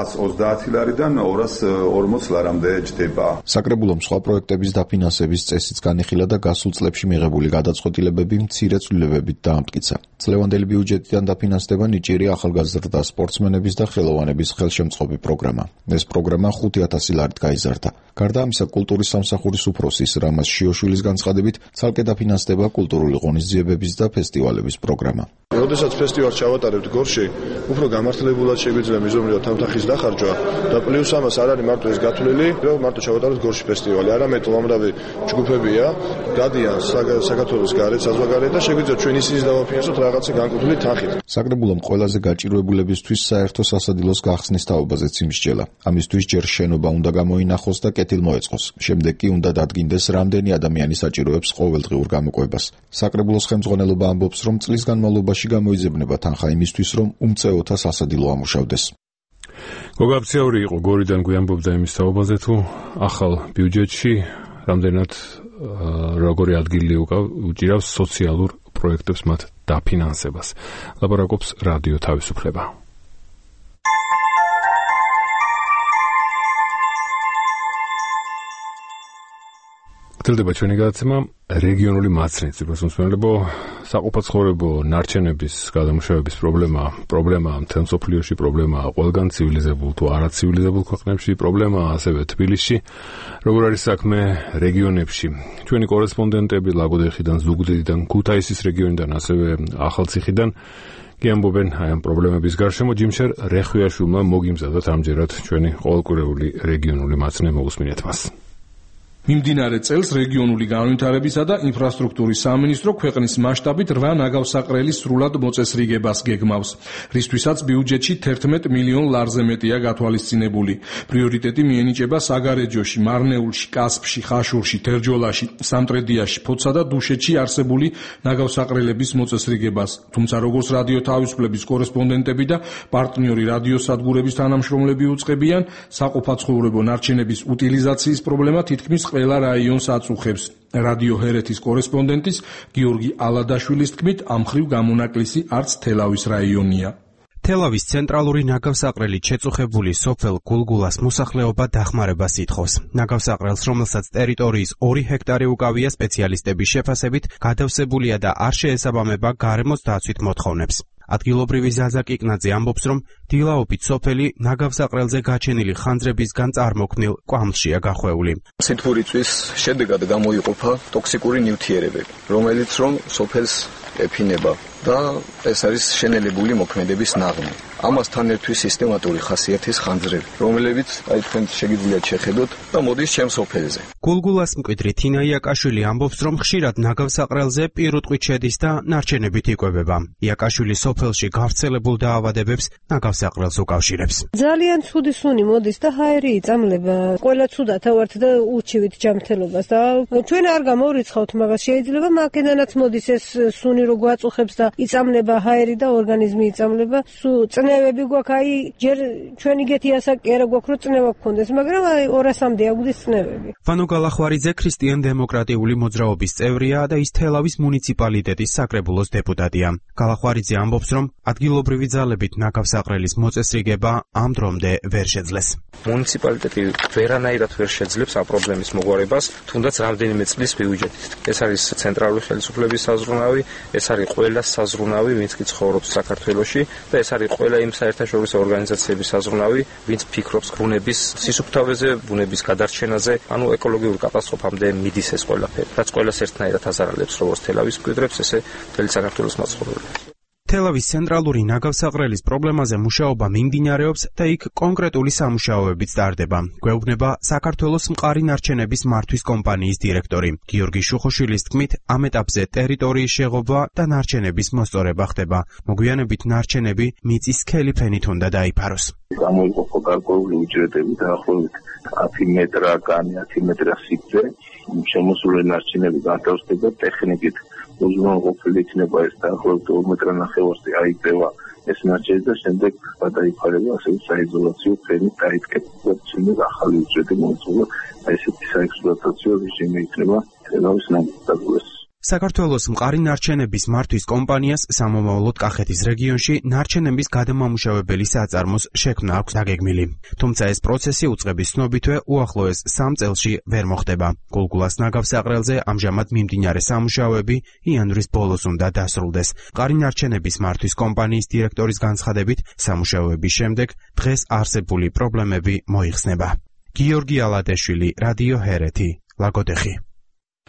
130 ლარიდან 240 ლარამდე ჯდება. საკრებულომ სხვა პროექტების დაფინანსების წესიც განიხილა და გასულ წლებში მიღებული გადაწყვეტილებები მცირე ცვლილებებით დაამტკიცა. წლევანდელი ბიუჯეტიდან დაფინანსდება ნიჭიერი ახალგაზრდა სპორტსმენების და ხელოვანების ხელშემწყობი პროგრამა. ეს პროგრამა 5000 ლარით გაიზარდა. გარდა ამისა, კულტურის სამსახურის უფროსის რამაზ შიოშვილის განცხადებით, ცალკე დაფინანსდება კულტურული ღონისძიებების და ფესტივალების პროგრამა. როდესაც ფესტივალს ჩავატარებთ გორში, უფრო გამართლებულად შეგვიძლია მიზომრიოთ თანხის დახარჯვა და პლუს ამას არ არის მარტო ეს გათვლილი, რომ მარტო ჩავატარებთ გორში ფესტივალი, არამედ უამრავი ჯგუფებია, გადიან საქართველოს გარეთ, საზღვარგარეთ და შეგვიძლია ჩვენ ისიც დავაფინანსოთ რაღაცა განკუთვნილი თანხით. საკრებულომ ყველაზე გაჭირვებულებისთვის საერთო სასადილოს გახსნის თაობაზეც იმსჯელა. ამისთვის ჯერ შენობა უნდა გამოინახოს და კეთილ მოეწყოს. შემდეგ კი უნდა დადგინდეს, რამდენი ადამიანი საჭიროებს ყოველდღიურ გამოკვლევას. საკრებულოს ხელმძღვანელობა ამბობს, რომ წლის განმავლობაში გამოიძებნება თანხა იმისთვის, რომ უმწეოთა სასადილო ამუშავდეს. გოგა აფციაური იყო გორიდან, გვიამბობდა იმის თაობაზე, თუ ახალ ბიუჯეტში რამდენად როგორი ადგილი უჭირავს სოციალურ პროექტებს მათ დაფინანსებას. ლაპარაკობს რადიო თავისუფლება. გრძელდება ჩვენი გადაცემა რეგიონული მაცნით. მოსმენელებო, საყოფაცხოვრებო ნარჩენების გადამუშავების პრობლემა მთელ მსოფლიოში, პრობლემა ყველგან ცივილიზებულ თუ არაცივილიზებულ ქვეყნებში, პრობლემა ასევე თბილისში. როგორ არის საქმე რეგიონებში? ჩვენი კორესპონდენტები ლაგოდეხიდან, ზუგდიდიდან, ქუთაისის რეგიონიდან, ასევე ახალციხიდან გიამბობენ აი ამ პრობლემების გარშემო. ჯიმშერ რეხვიაშვილმა მოგიმზადოთ ამჯერად ჩვენი ყოველკვირეული რეგიონული მაცნე, მოგუსმინეთ მას. მიმდინარე წელს რეგიონული განვითარებისა და ინფრასტრუქტურის სამინისტრო ქვეყნის მასშტაბით 8 ნაგავსაყრელის სრულად მოწესრიგებას გეგმავს, რისთვისაც ბიუჯეტში 11 მილიონ ლარზე მეტია გათვალისწინებული. პრიორიტეტი მიენიჭება საგარეჯოში, მარნეულში, კასპში, ხაშურში, თერჯოლაში, სამტრედიაში, ფოთსა და დუშეთში არსებული ნაგავსაყრელების მოწესრიგებას. თუმცა როგორც რადიო თავისუფლების კორესპონდენტები და პარტნიორი რადიოსადგურების თანამშრომლები უწყებიან, საყოფაცხოვრებო ნარჩენების უტილიზაციის პრობლემა თითქმის ყველა რაიონს აწუხებს. რადიო ჰერეთის კორესპონდენტის გიორგი ალადაშვილის თქმით, ამ ხრივ გამონაკლისი არც თელავის რაიონია. თელავის ცენტრალური ნაგავსაყრელით შეწუხებული სოფელ გულგულას მოსახლეობა დახმარებას ითხოვს. ნაგავსაყრელს, რომელსაც ტერიტორიის 2 ჰექტარი უკავია, სპეციალისტების შეფასებით გადავსებულია და არ შეესაბამება გარემოს დაცვით მოთხოვნებს. ადგილობრივი ზაზა კიკნაძე ამბობს, რომ დილაობით სოფელი ნაგავსაყრელზე გაჩენილი ხანძრებისგან წარმოქმნილ კვამლშია გახვეული. სითბურიწვის შედეგად გამოიყოფა ტოქსიკური ნივთიერებები, რომელიც რომ სოფელს ეფინება და ეს არის შენელებული მოქმედების ნაღმი. ამასთან ერთვი სისტემატური ხასიათის ხანძრები, რომლებიც აი თქვენ შეგიძლიათ შეხედოთ და მოდის ჩემს სოფელზე. გულგულას მკვიდრი თინა იაკაშვილი ამბობს, რომ ხშირად ნაგავსაყრელზე პირუტყვით შედის და ნარჩენებით იკვებება. იაკაშვილი სოფელში გავრცელებულ დაავადებებს ნაგავსაყრელს უკავშირებს. ძალიან ცუდი სუნი მოდის და ჰაერი იწამლება. ყველა ცუდად ავართ და უჩივით ჯანმრთელობას და ჩვენ არ გამორიცხავთ, მაგას შეიძლება მაგედანაც მოდის ეს სუნი რო გვაწუხებს და იწამლება ჰაერი და ორგანიზმი იწამლება. წნევები გვაქვს, აი ჯერ ჩვენ იგეთი ასაკი არა გვაქვს, რომ წნევა გქონდეს, მაგრამ აი 200-მდე აგვდის წნევები. ვანო გალახვარიძე ქრისტიან-დემოკრატიული მოძრაობის წევრია და ის თელავის მუნიციპალიტეტის საკრებულოს დეპუტატია. გალახვარიძე ამბობს, რომ ადგილობრივი ძალებით ნაგავსაყრელის მოწესრიგება ამ დრომდე ვერ შეძლეს. მუნიციპალიტეტი ვერანაირად ვერ შეძლებს ამ პრობლემის მოგვარებას, თუნდაც რამდენიმე წლის ბიუჯეტით. ეს არის ცენტრალური ხელისუფლების საზრუნავი, ეს არის ყველა საზრუნავი, ვინც კი ცხოვრობს საქართველოში და ეს არის ყველა იმ საერთაშორისო ორგანიზაციების საზრუნავი, ვინც ფიქრობს ბუნების სისუფთავეზე, ბუნების გადარჩენაზე, ანუ ეკოლოგიურ კატასტროფამდე მიდის ეს ყველაფერი. რაც ყველას ერთნაირად აზარალებს, როგორც თელავის მკვიდრებს, ესე მთელი საქართველოს მაცხოვრებლებს. თელავის ცენტრალური ნაგავსაყრელის პრობლემაზე მუშაობა მიმდინარეობს და იქ კონკრეტული სამუშაოებიც ტარდება. გვეუბნება საქართველოს მყარი ნარჩენების მართვის კომპანიის დირექტორი გიორგი შუხოშვილის თქმით, ამ ეტაპზე ტერიტორიის შეღობა და ნარჩენების მოსწორება ხდება. მოგვიანებით ნარჩენები მიწის სქელი ფენით უნდა დაიფაროს. გამოიყოფა გარკვეული უჯრედები დაახლოებით 10 მეტრგანი, 10 მეტრა სიგრძე, შემოსული ნარჩენები განთავსდება ტექნიკით. უზრუნველყოფილი იქნება ეს დაახლოებით 2 მეტრნახევარზე აიწევა ეს ნარჩენი და შემდეგ გადაიფარება ასევე საიზოლაციო ფენით დაიდგება და ახალი უჯრედი მოეწყობა. ესეთი საექსპლუატაციო რეჟიმი იქნება თელავის ნაგავსაყრელს. საქართველოს მყარი ნარჩენების მართვის კომპანიას სამომავლოდ კახეთის რეგიონში ნარჩენების გადამამუშავებელი საწარმოს შექმნა აქვს დაგეგმილი. თუმცა ეს პროცესი უწყების ცნობითვე უახლოეს 3 წელში ვერ მოხდება. გულგულას ნაგავსაყრელზე ამჟამად მიმდინარე სამუშაოები იანვრის ბოლოს უნდა დასრულდეს. მყარი ნარჩენების მართვის კომპანიის დირექტორის განცხადებით, სამუშაოების შემდეგ დღეს არსებული პრობლემები მოიხსნება. გიორგი ალადეშვილი, რადიო ჰერეთი, ლაგოდეხი.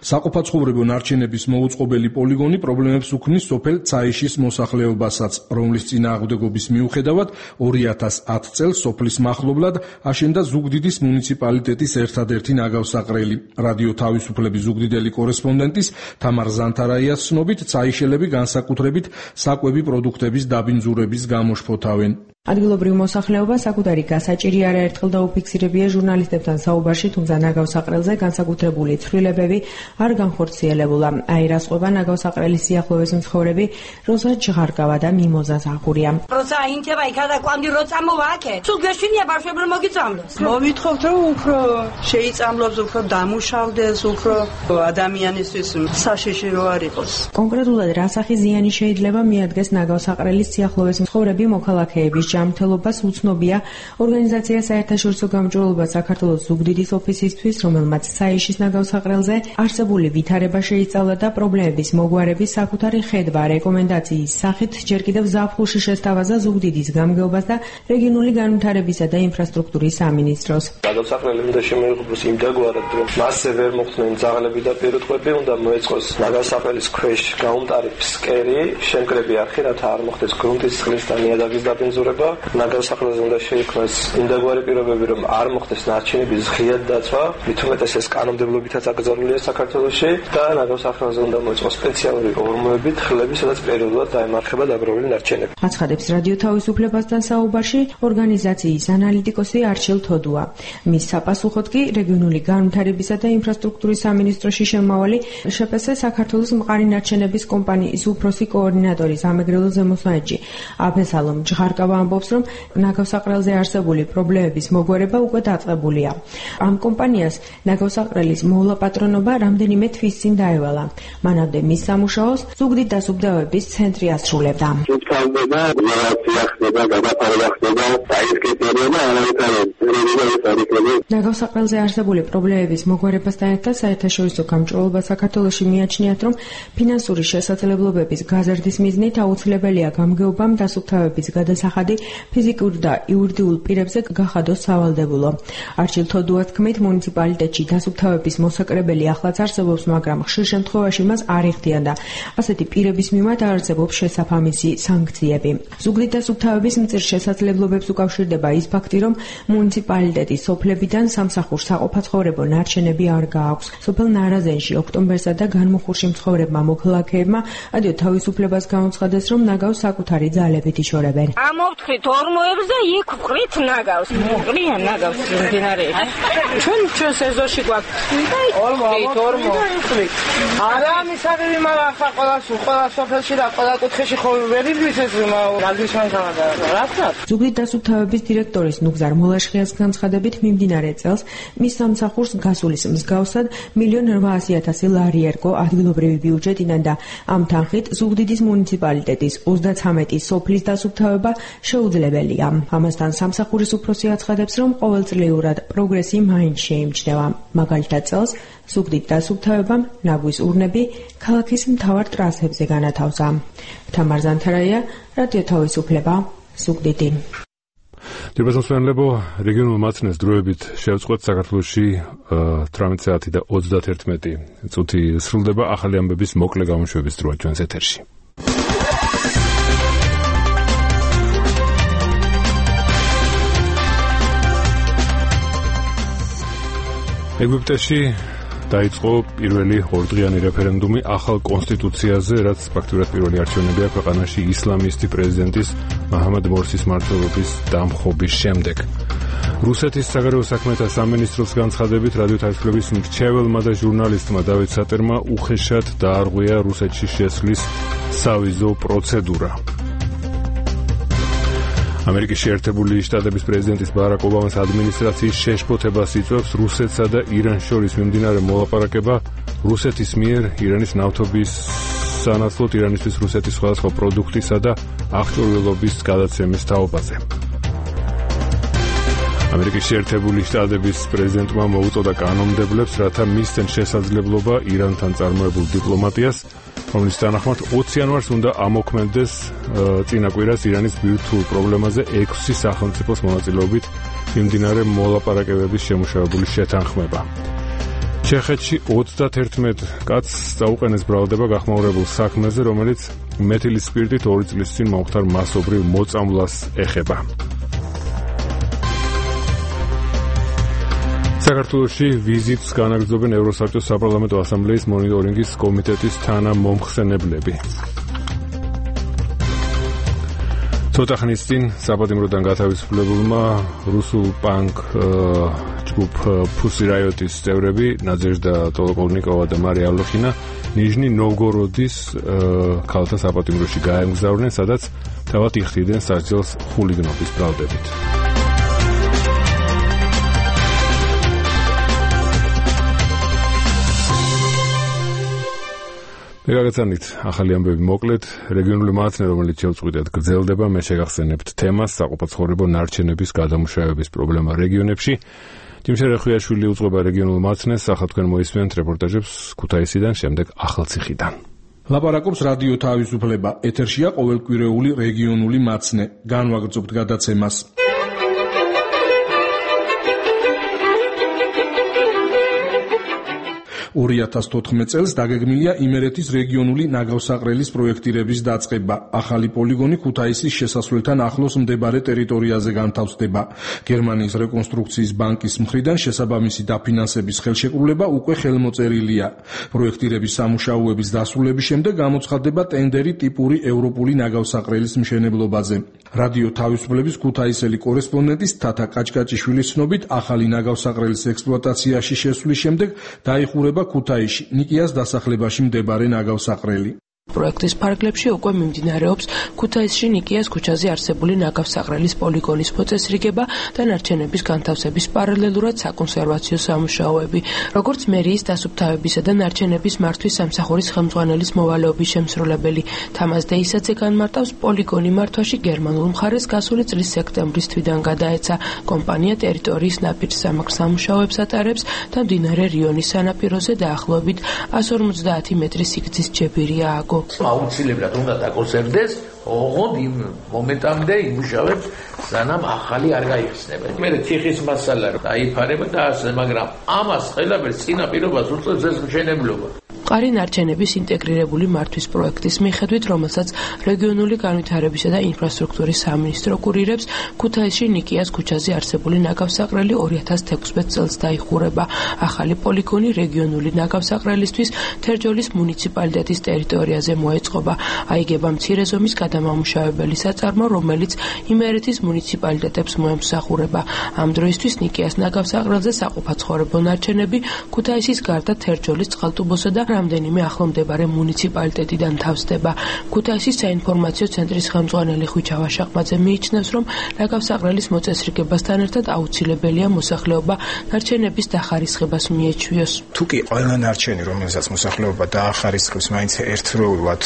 საყოფაცხოვრებო ნარჩენების მოუწყობელი პოლიგონი პრობლემებს უქმნის სოფელ ცაიშის მოსახლეობასაც, რომლის წინააღმდეგობის მიუხედავად 2010 წელს სოფლის მახლობლად აშენდა ზუგდიდის მუნიციპალიტეტის ერთადერთი ნაგავსაყრელი. რადიო თავისუფლების ზუგდიდელი კორესპონდენტის თამარ ზანთარაიას ცნობით, ცაიშელები განსაკუთრებით საკვები პროდუქტების დაბინძურების გამო შფოთავენ. ადგილობრივ მოსახლეობა საკუთარი გასაჭირი არაერთხელ დაუფიქსირებია ჟურნალისტებთან საუბარში, თუმცა ნაგავსაყრელზე განსაკუთრებული ცვლილებები არ განხორციელებულა. აირასყვება ნაგავსაყრელის სიახლოვეს მცხოვრები როზა ჯღარკავა და მიმოზას აღურია. როცა ინთება იქა და კვანდი რო წამოვა აქე, სულ გეშინია ბავშვები რომ მოგიწამლოს. მოვითხოვთ რომ უფრო შეიწამლოს, უფრო დამუშავდეს, უფრო ადამიანისთვის საშიში რო არ იყოს. კონკრეტულად რა სახის ზიანი შეიძლება მიადგეს ნაგავსაყრელის სიახლოვეს მცხოვრები მოქალაქეების ჯანმრთელობას უცნობია ორგანიზაცია საერთაშორისო გამჭვირვალობა საქართველოს ზუგდიდის ოფისისთვის, რომელმაც საიშის ნაგავსაყრელზე არსებული ვითარება შეისწავლა და პრობლემების მოგვარების საკუთარი ხედვა რეკომენდაციის სახით ჯერ კიდევ ზაფხულში შესთავაზა ზუგდიდის გამგეობას და რეგიონული განვითარებისა და ინფრასტრუქტურის სამინისტროს. ნაგავსაყრელი უნდა შემოიღოს იმ დაგვარად, რომ მასზე ვერ მოხდნენ ძაღლები და პირუტყვები, უნდა მოეწყოს ნაგავსაყრელის ქვეშ გაუმტარი ფსკერი, შემკრები არხი, რათა არ მოხდეს გრუნტის წყლის და ნიადაგის დაბინძურება. ნაგავსაყრელზე უნდა შეიქმნას იმდაგვარი პირობები, რომ არ მოხდეს ნარჩენების ღიად დაცვა, მით უმეტეს ეს კანონმდებლობითაც აკრძალულია საქართველოში და ნაგავსაყრელზე უნდა მოეწყოს სპეციალური ორმოები, თხლები, სადაც პერიოდულად დაემარხება დაგროვილი ნარჩენები. აცხადებს რადიო თავისუფლებასთან საუბარში ორგანიზაციის ანალიტიკოსი არჩილ თოდუა. მის საპასუხოდ კი რეგიონული განვითარებისა და ინფრასტრუქტურის სამინისტროში შემავალი შპს საქართველოს მყარი ნარჩენების კომპანიის უფროსი კოორდინატორი სამეგრელო ზემოსვანეთში აფესალომ ჯღარკავა ამბობს, რომ ნაგავსაყრელზე არსებული პრობლემების მოგვარება უკვე დაწყებულია. ამ კომპანიას ნაგავსაყრელის მოვლაპატრონობა რამდენიმე თვის წინ დაევალა. მანამდე მის სამუშაოს ზუგდიდ დასუფთავების ცენტრი ასრულებდა. ნაგავსაყრელზე არსებული პრობლემების მოგვარებასთან ერთად საერთაშორისო გამჭვირვალობა საქართველოში მიაჩნიათ, რომ ფინანსური შესაძლებლობების გაზრდის მიზნით აუცილებელია გამგეობამ დასუფთავების გადასახადი ფიზიკურ და იურიდიულ პირებზე გახადოს სავალდებულო. არჩილ თოდუას თქმით, მუნიციპალიტეტში დასუფთავების მოსაკრებელი ახლაც არსებობს, მაგრამ ხშირ შემთხვევაში მას არ იხდიან და ასეთი პირების მიმართ არ არსებობს შესაფამისი სანქციები. ზუგდიდ დასუფთავების მწირ შესაძლებლობებს უკავშირდება ის ფაქტი, რომ მუნიციპალიტეტის სოფლებიდან სამსახურს საყოფაცხოვრებო ნარჩენები არ გააქვს. სოფელ ნარაზენში ოქტომბერსა და განმუხურში მცხოვრებმა მოქალაქეებმა ადრე თავისუფლებას გამოცხადეს, რომ ნაგავს საკუთარი ძალებით იშორებენ. ამოვთხრით ორმოებს და იქ ვყრით ნაგავს. მოყრია ნაგავს მდინარეში. ჩვენ სეზონში გვაქვს. ორმო. არა მისაღები მაგრამ ხა ყველა სოფელში და ყველა კუთხეში ხო ვერ იბლის ეს ნაგვის მანქანა რა თქმა. ზუგდიდ დასუფთავების დირექტორის ნუგზარ მოლაშხიას განცხადებით მიმდინარე წელს მის სამსახურს გასულის მსგავსად 1.8 ლარი ერგო ადგილობრივი ბიუჯეტიდან და ამ თანხით ზუგდიდის მუნიციპალიტეტის 33 სოფლის დასუფთავება შეუძლებელია. ამასთან სამსახურის უფროსი აცხადებს, რომ ყოველწლიურად პროგრესი მაინც შეიმჩნევა. მაგალითად წელს ზუგდიდ დასუფთავებამ ნაგვის ურნები ქალაქის მთავარ ტრასებზე განათავსა. თამარ ზანთარაია, რადიო თავისუფლება, ზუგდიდი. დიაბეტოსმენლებო, რეგიონულ მაცნეს დროებით შევწყვეტ საქართველოში 18 საათი და 31 წუთი სრულდება ახალი ამბების მოკლე გამოშვების დროა ჩვენს ეთერში. ეგვიპტეში დაიწყო პირველი ორდღიანი რეფერენდუმი ახალ კონსტიტუციაზე, რაც ფაქტურად პირველი არჩევნებია ქვეყანაში ისლამისტი პრეზიდენტის მაჰამად მორსის მმართველობის დამხობის შემდეგ. რუსეთის საგარეო საქმეთა სამინისტროს განცხადებით, რადიო თავისუფლების მრჩეველმა და ჟურნალისტმა დავით სატერმა უხეშად დაარღვია რუსეთში შესვლის სავიზო პროცედურა. ამერიკის შეერთებული შტატების პრეზიდენტის ბარაკ ობამას ადმინისტრაციის შეშფოთებას იწვევს რუსეთსა და իրანს შორის მიმდინარე მოლაპარაკება რუსეთის მიერ ირანის ნავთობის სანაცვლოდ ირანისთვის რუსეთის სხვადასხვა პროდუქტისა და აღჭურვილობის გადაცემის თაობაზე. ამერიკის შეერთებული შტატების პრეზიდენტმა მოუწოდა კანონმდებლებს, რათა მისცენ შესაძლებლობა ირანთან წარმოებულ დიპლომატიას, რომლის თანახმად 20 იანვარს უნდა ამოქმედდეს წინა კვირას ირანის ბირთვულ პრობლემაზე 6 სახელმწიფოს მონაწილეობით მიმდინარე მოლაპარაკებების შემუშავებული შეთანხმება. ჩეხეთში 31 კაცს დაუყენეს ბრალდება გახმაურებულ საქმეზე, რომელიც მეთილის სპირტით 2 წლის წინ მომხდარ მასობრივ მოწამვლას ეხება. საქართველოში ვიზიტს განაგრძობენ ევროსაბჭოს საპარლამენტო ასამბლეის მონიტორინგის კომიტეტის თანამომხსენებლები. ცოტა ხნის წინ საპატიმროდან გათავისუფლებულმა რუსულ პანკ ჯგუფ Pussy Riot-ის წევრები ნაძეჟდა ტოლოკოლნიკოვა და მარია ალოხინა ნიჟნი ნოვგოროდის ქალთა საპატიმროში გაემგზავრნენ, სადაც თავად იხდიდნენ სასჯელს ხულიგნობის ბრალდებით. მეგაგაცანით ახალი ამბები მოკლედ, რეგიონული მაცნე, რომელიც შევწყვიტეთ, გრძელდება. მე შეგახსენებთ თემას საყოფაცხოვრებო ნარჩენების გადამუშავების პრობლემა რეგიონებში. ჯიმშე რეხუიაშვილი უძღვება რეგიონულ მაცნეს, ახლა თქვენ მოისმენთ რეპორტაჟებს ქუთაისიდან, შემდეგ ახალციხიდან. ლაპარაკობს რადიო თავისუფლება. ეთერშია ყოველკვირეული რეგიონული მაცნე. განვაგრძობთ გადაცემას. 2014 წელს დაგეგმილია იმერეთის რეგიონული ნაგავსაყრელის პროექტირების დაწყება. ახალი პოლიგონი ქუთაისის შესასვლელთან ახლოს მდებარე ტერიტორიაზე განთავსდება. გერმანიის რეკონსტრუქციის ბანკის მხრიდან შესაბამისი დაფინანსების ხელშეკრულება უკვე ხელმოწერილია. პროექტირების სამუშაოების დასრულების შემდეგ გამოცხადდება ტენდერი ტიპური ევროპული ნაგავსაყრელის მშენებლობაზე. რადიო თავისუფლების ქუთაისელი კორესპონდენტის თათა კაჭკაჭიშვილის ცნობით, ახალი ნაგავსაყრელის ექსპლუატაციაში შესვლის შემდეგ დაიხურება ქუთაისში ნიკიას დასახლებაში მდებარე ნაგავსაყრელი. პროექტის ფარგლებში უკვე მიმდინარეობს ქუთაისში ნიკიას ქუჩაზე არსებული ნაგავსაყრელის პოლიგონის მოწესრიგება და ნარჩენების განთავსების პარალელურად საკონსერვაციო სამუშაოები. Როგორც მერიის დასუფთავებისა და ნარჩენების მართვის სამსახურის ხელმძღვანელის მოვალეობის შემსრულებელი თამაზ დეისაძე განმარტავს, პოლიგონი მართვაში გერმანულ მხარეს გასული წლის სექტემბრის თვიდან გადაეცა. კომპანია ტერიტორიის ნაპირს სამაგრ სამუშაოებს ატარებს და მდინარე რიონის სანაპიროზე დაახლოებით 150 მეტრის სიგრძის ჯებირი ააგო. აუცილებლად უნდა დაკონსერვდეს, ოღონდ იმ მომენტამდე იმუშავებს, სანამ ახალი არ გაიხსნება. მე ციხის მასალა დაიფარება და ასე, მაგრამ ამას ყველაფერს წინაპირობას უწევს ეს მშენებლობა. მყარი ნარჩენების ინტეგრირებული მართვის პროექტის მიხედვით, რომელსაც რეგიონული განვითარებისა და ინფრასტრუქტურის სამინისტრო კურირებს, ქუთაისში ნიკიას ქუჩაზე არსებული ნაგავსაყრელი 2016 წელს დაიხურება. ახალი პოლიგონი რეგიონული ნაგავსაყრელისთვის თერჯოლის მუნიციპალიტეტის ტერიტორიაზე მოეწყობა. აიგება მცირე ზომის გადამამუშავებელი საწარმო, რომელიც იმერეთის მუნიციპალიტეტებს მოემსახურება. ამ დროისთვის ნიკიას ნაგავსაყრელზე საყოფაცხოვრებო ნარჩენები ქუთაისის გარდა თერჯოლის, წყალტუბოსა და რამდენიმე ახლო მდებარე მუნიციპალიტეტიდან თავსდება. ქუთაისის საინფორმაციო ცენტრის ხელმძღვანელი ხვიჩა ვაშაყმაძე მიიჩნევს, რომ ნაგავსაყრელის მოწესრიგებასთან ერთად აუცილებელია მოსახლეობა ნარჩენების დახარისხებას მიეჩვიოს. თუკი ყველა ნარჩენი, რომელსაც მოსახლეობა დაახარისხებს, მაინც ერთდროულად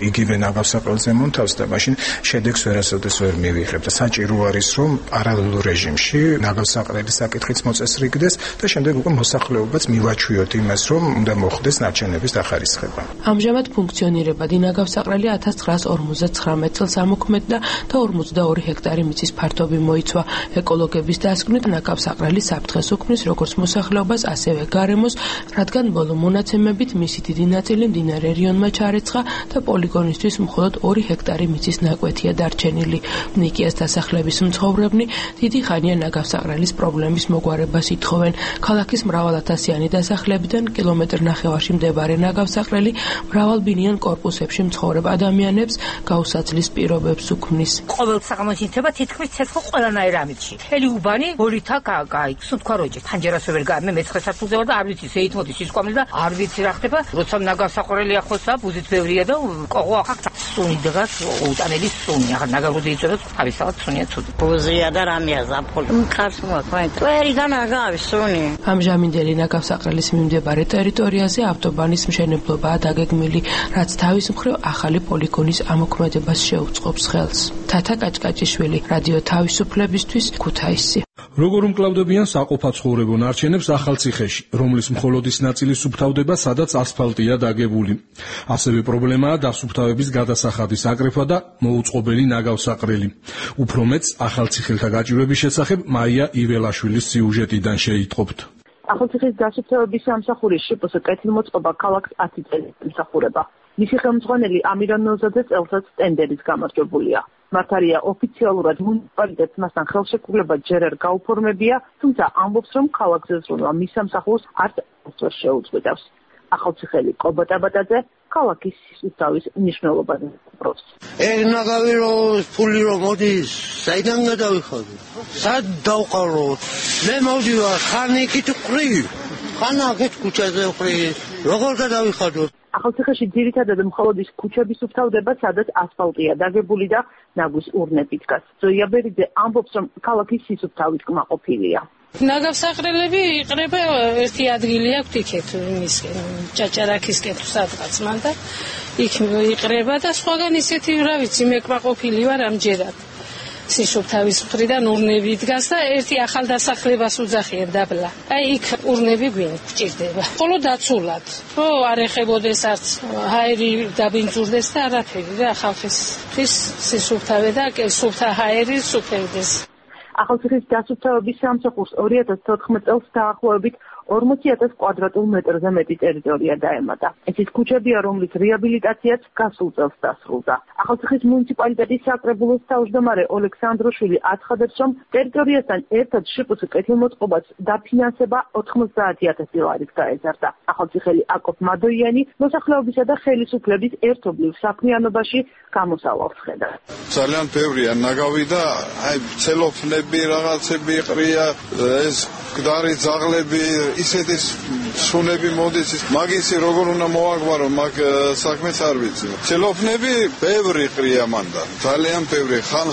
იგივე ნაგავსაყრელზე მონთავსდება, მაშინ შედეგს ვერასოდეს ვერ მივიღებ და საჭირო არის, რომ პარალელურ რეჟიმში ნაგავსაყრელის საკითხიც მოწესრიგდეს და შემდეგ უკვე მოსახლეობაც მივაჩვიოთ იმას, რომ უნდა მოხდეს ნარჩენების დახარისხება. ამჟამად ფუნქციონირებადი ნაგავსაყრელი 1959 წელს ამოქმედდა და 42 ჰექტარი მიწის ფართობი მოიცვა. ეკოლოგების დასკვნით ნაგავსაყრელი საფრთხეს უქმნის როგორც მოსახლეობას, ასევე გარემოს, რადგან ბოლო მონაცემებით მისი დიდი ნაწილი მდინარე რიონმა ჩარეცხა და პოლიგონისთვის მხოლოდ 2 ჰექტარი მიწის ნაკვეთია დარჩენილი. ნიკიას დასახლების მცხოვრებნი დიდი ხანია ნაგავსაყრელის პრობლემის მოგვარებას ითხოვენ. ქალაქის მრავალათასიანი დასახლებიდან კილომეტრ-ნახევარში მდებარე ნაგავსაყრელი მრავალბინიან კორპუსებში მცხოვრებ ადამიანებს გაუსაცლის პირობებს უქმნის. ყოველ საღამოში თება თითქმის ცეცხლ ყველანაირ ამიტში. მთელი უბანი ბორითა გაიქცუ თქვა როჭი. ფანჯერას ვერ გაამე მეცხრე სართულზე ვარ და არ ვიცი შეითმოდი სისკვამი და არ ვიცი რა ხდება. როცა ნაგავსაყრელი ახლოსა ბუზით ბევრია და ყოღო ახლა სუნი დგას უტანელი სუნი. ახლა ნაგავზე იწევს თავისთავად სუნია ცუდი. ბუზია და რამეა ზაფხული. მყარს მოაქვენ. ყველიდან აგავის სუნი. ამჟამინდელი ნაგავსაყრელის მიმდებარე ტერიტორიაზე ავტობანის მშენებლობაა დაგეგმილი, რაც თავის მხრივ ახალი პოლიგონის ამოქმედებას შეუწყობს ხელს. თათა კაჭკაჭიშვილი, რადიო თავისუფლებისთვის, ქუთაისი. როგორ უმკლავდებიან საყოფაცხოვრებო ნარჩენებს ახალციხეში, რომლის მხოლოდის ნაწილი სუფთავდება, სადაც ასფალტია დაგებული. ასევე პრობლემაა დასუფთავების გადასახადის აკრეფვა და მოუწყობელი ნაგავსაყრელი. უფრო მეც ახალციხელთა გაჭირვების შესახებ მაია იველაშვილის სიუჟეტიდან შეიტყობთ. ახალციხის დასუფთავების სამსახურის შპს კეთილმოწყობა ქალაქს 10 წელი ემსახურება. მისი ხელმძღვანელი ამირან ნოზაძე წელსაც ტენდერის გამარჯვებულია. მართალია ოფიციალურად მუნიციპალიტეტს მასთან ხელშეკრულება ჯერ არ გაუფორმებია, თუმცა ამბობს, რომ ქალაქზე ზრუნვა მის სამსახურს არც აღწევს შეუწყვეტავს. ახალციხელი კობატაბატაძე ქალაქის სისუფთავის მნიშვნელობაზე პროს. ნაგავი რომ ფული რომ მოდის, საიდან გადავიხადო? სად დავყარო? მე მოვდივარ ხანიკით ყრი. ხანაკით ქუჩაზე ყრი. როგორ გადავიხადო? ახალციხეში ძირითადად მხოლოდ ის ქუჩები სუფთავდება, სადაც ასფალტია დაგებული და ნაგვის ურნები დგას. ზოია ბერიძე ამბობს, რომ ქალაქის სისუფთავით კმაყოფილია. ნაგავსაყრელები იყრება ერთი ადგილი აქვს იქეთ იმის ჭაჭარაქისკენ თუ სადღაც მან და იქ იყრება და სხვაგან ისეთი რა ვიცი მე კმაყოფილი ვარ ამჯერად. სისუფთავის მხრიდან ურნები დგას და ერთი ახალ დასახლებას უძახიან დაბლა. აი იქ ურნები გვჭირდება. ხოლო დაცულად. რო არ ეხებოდეს არც ჰაერი დაბინძურდეს და არაფერი და ხალხის სისუფთავე და სუფთა ჰაერი სუფევდეს. ახალციხის დასუფთავების სამსახურს 2014 წელს დაახლოებით 40,000 კვადრატულ მეტრზე მეტი ტერიტორია დაემატა. ეს ის ქუჩებია, რომლის რეაბილიტაციაც გასულ წელს დასრულდა. ახალციხის მუნიციპალიტეტის საკრებულოს თავმჯდომარე ოლექსანდროშვილი აცხადებს, რომ ტერიტორიასთან ერთად შპს კეთილმოწყობას დაფინანსება 90,000 ლარით გაეზარდა. ახალციხელი აკოფ მადოიანი მოსახლეობისა და ხელისუფლების ერთობლივ საქმიანობაში გამოსავალს ხედავს. ძალიან ბევრია ნაგავი და აი ცელოფნები რაღაცები ყრია, ეს გდარი ძაღლები ისეთი სუნები მოდის, მაგისი როგორ უნდა მოაგვარო, მაგ საქმეს არ ვიცი. ცელოფნები ბევრი ყრია მანდა. ძალიან ბევრი. ხან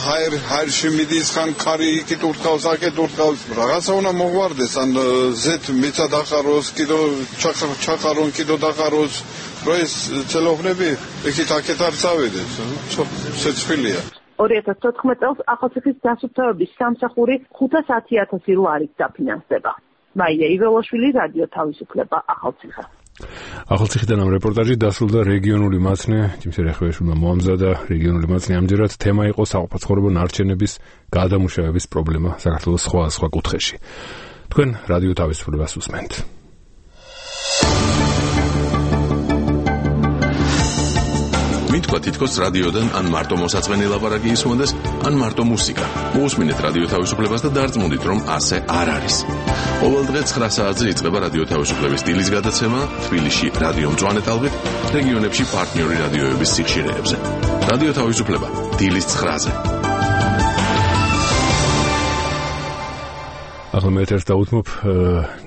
ჰაერში მიდის, ხან ქარი იქით ურტყავს, აქეთ ურტყავს. რაღაცა უნდა მოგვარდეს, ან ზეთ მიცა დახაროს, კიდო ჩახარონ, კიდო დახაროს. რო ეს ცელოფნები იქით აქეთ არ წავიდეს. შეცვლილია. 2014 წელს ახალციხის დასუფთავების სამსახური 510,000 ლარით დაფინანსდება. მაია იველოშვილი, რადიო თავისუფლება, ახალციხე. ახალციხიდან ამ რეპორტაჟი დასრულდა რეგიონული მაცნე ჯიმშე რეხევაშვილმა მოამზადა. რეგიონული მაცნე ამჯერად თემა იყო საყოფაცხოვრებო ნარჩენების გადამუშავების პრობლემა საქართველოს სხვა კუთხეში. თქვენ რადიო თავისუფლებას უსმენთ. მითქვა თითქოს რადიოდან ან მარტო მოსაწყენი ლაპარაკი ისმოდეს, ან მარტო მუსიკა. მოусმინეთ რადიო თავისუფლებას და დარწმუნდით, რომ ასე არ არის. ყოველ დღე 9 საათზე იწყება რადიო თავისუფლების დილის გადაცემა თბილისში რადიო მწვანე ტალღით, რეგიონებში პარტნიორი რადიოების სიხშირეებზე. რადიო თავისუფლება დილის 9-ზე. ახლა მე ერთ დავუთმობ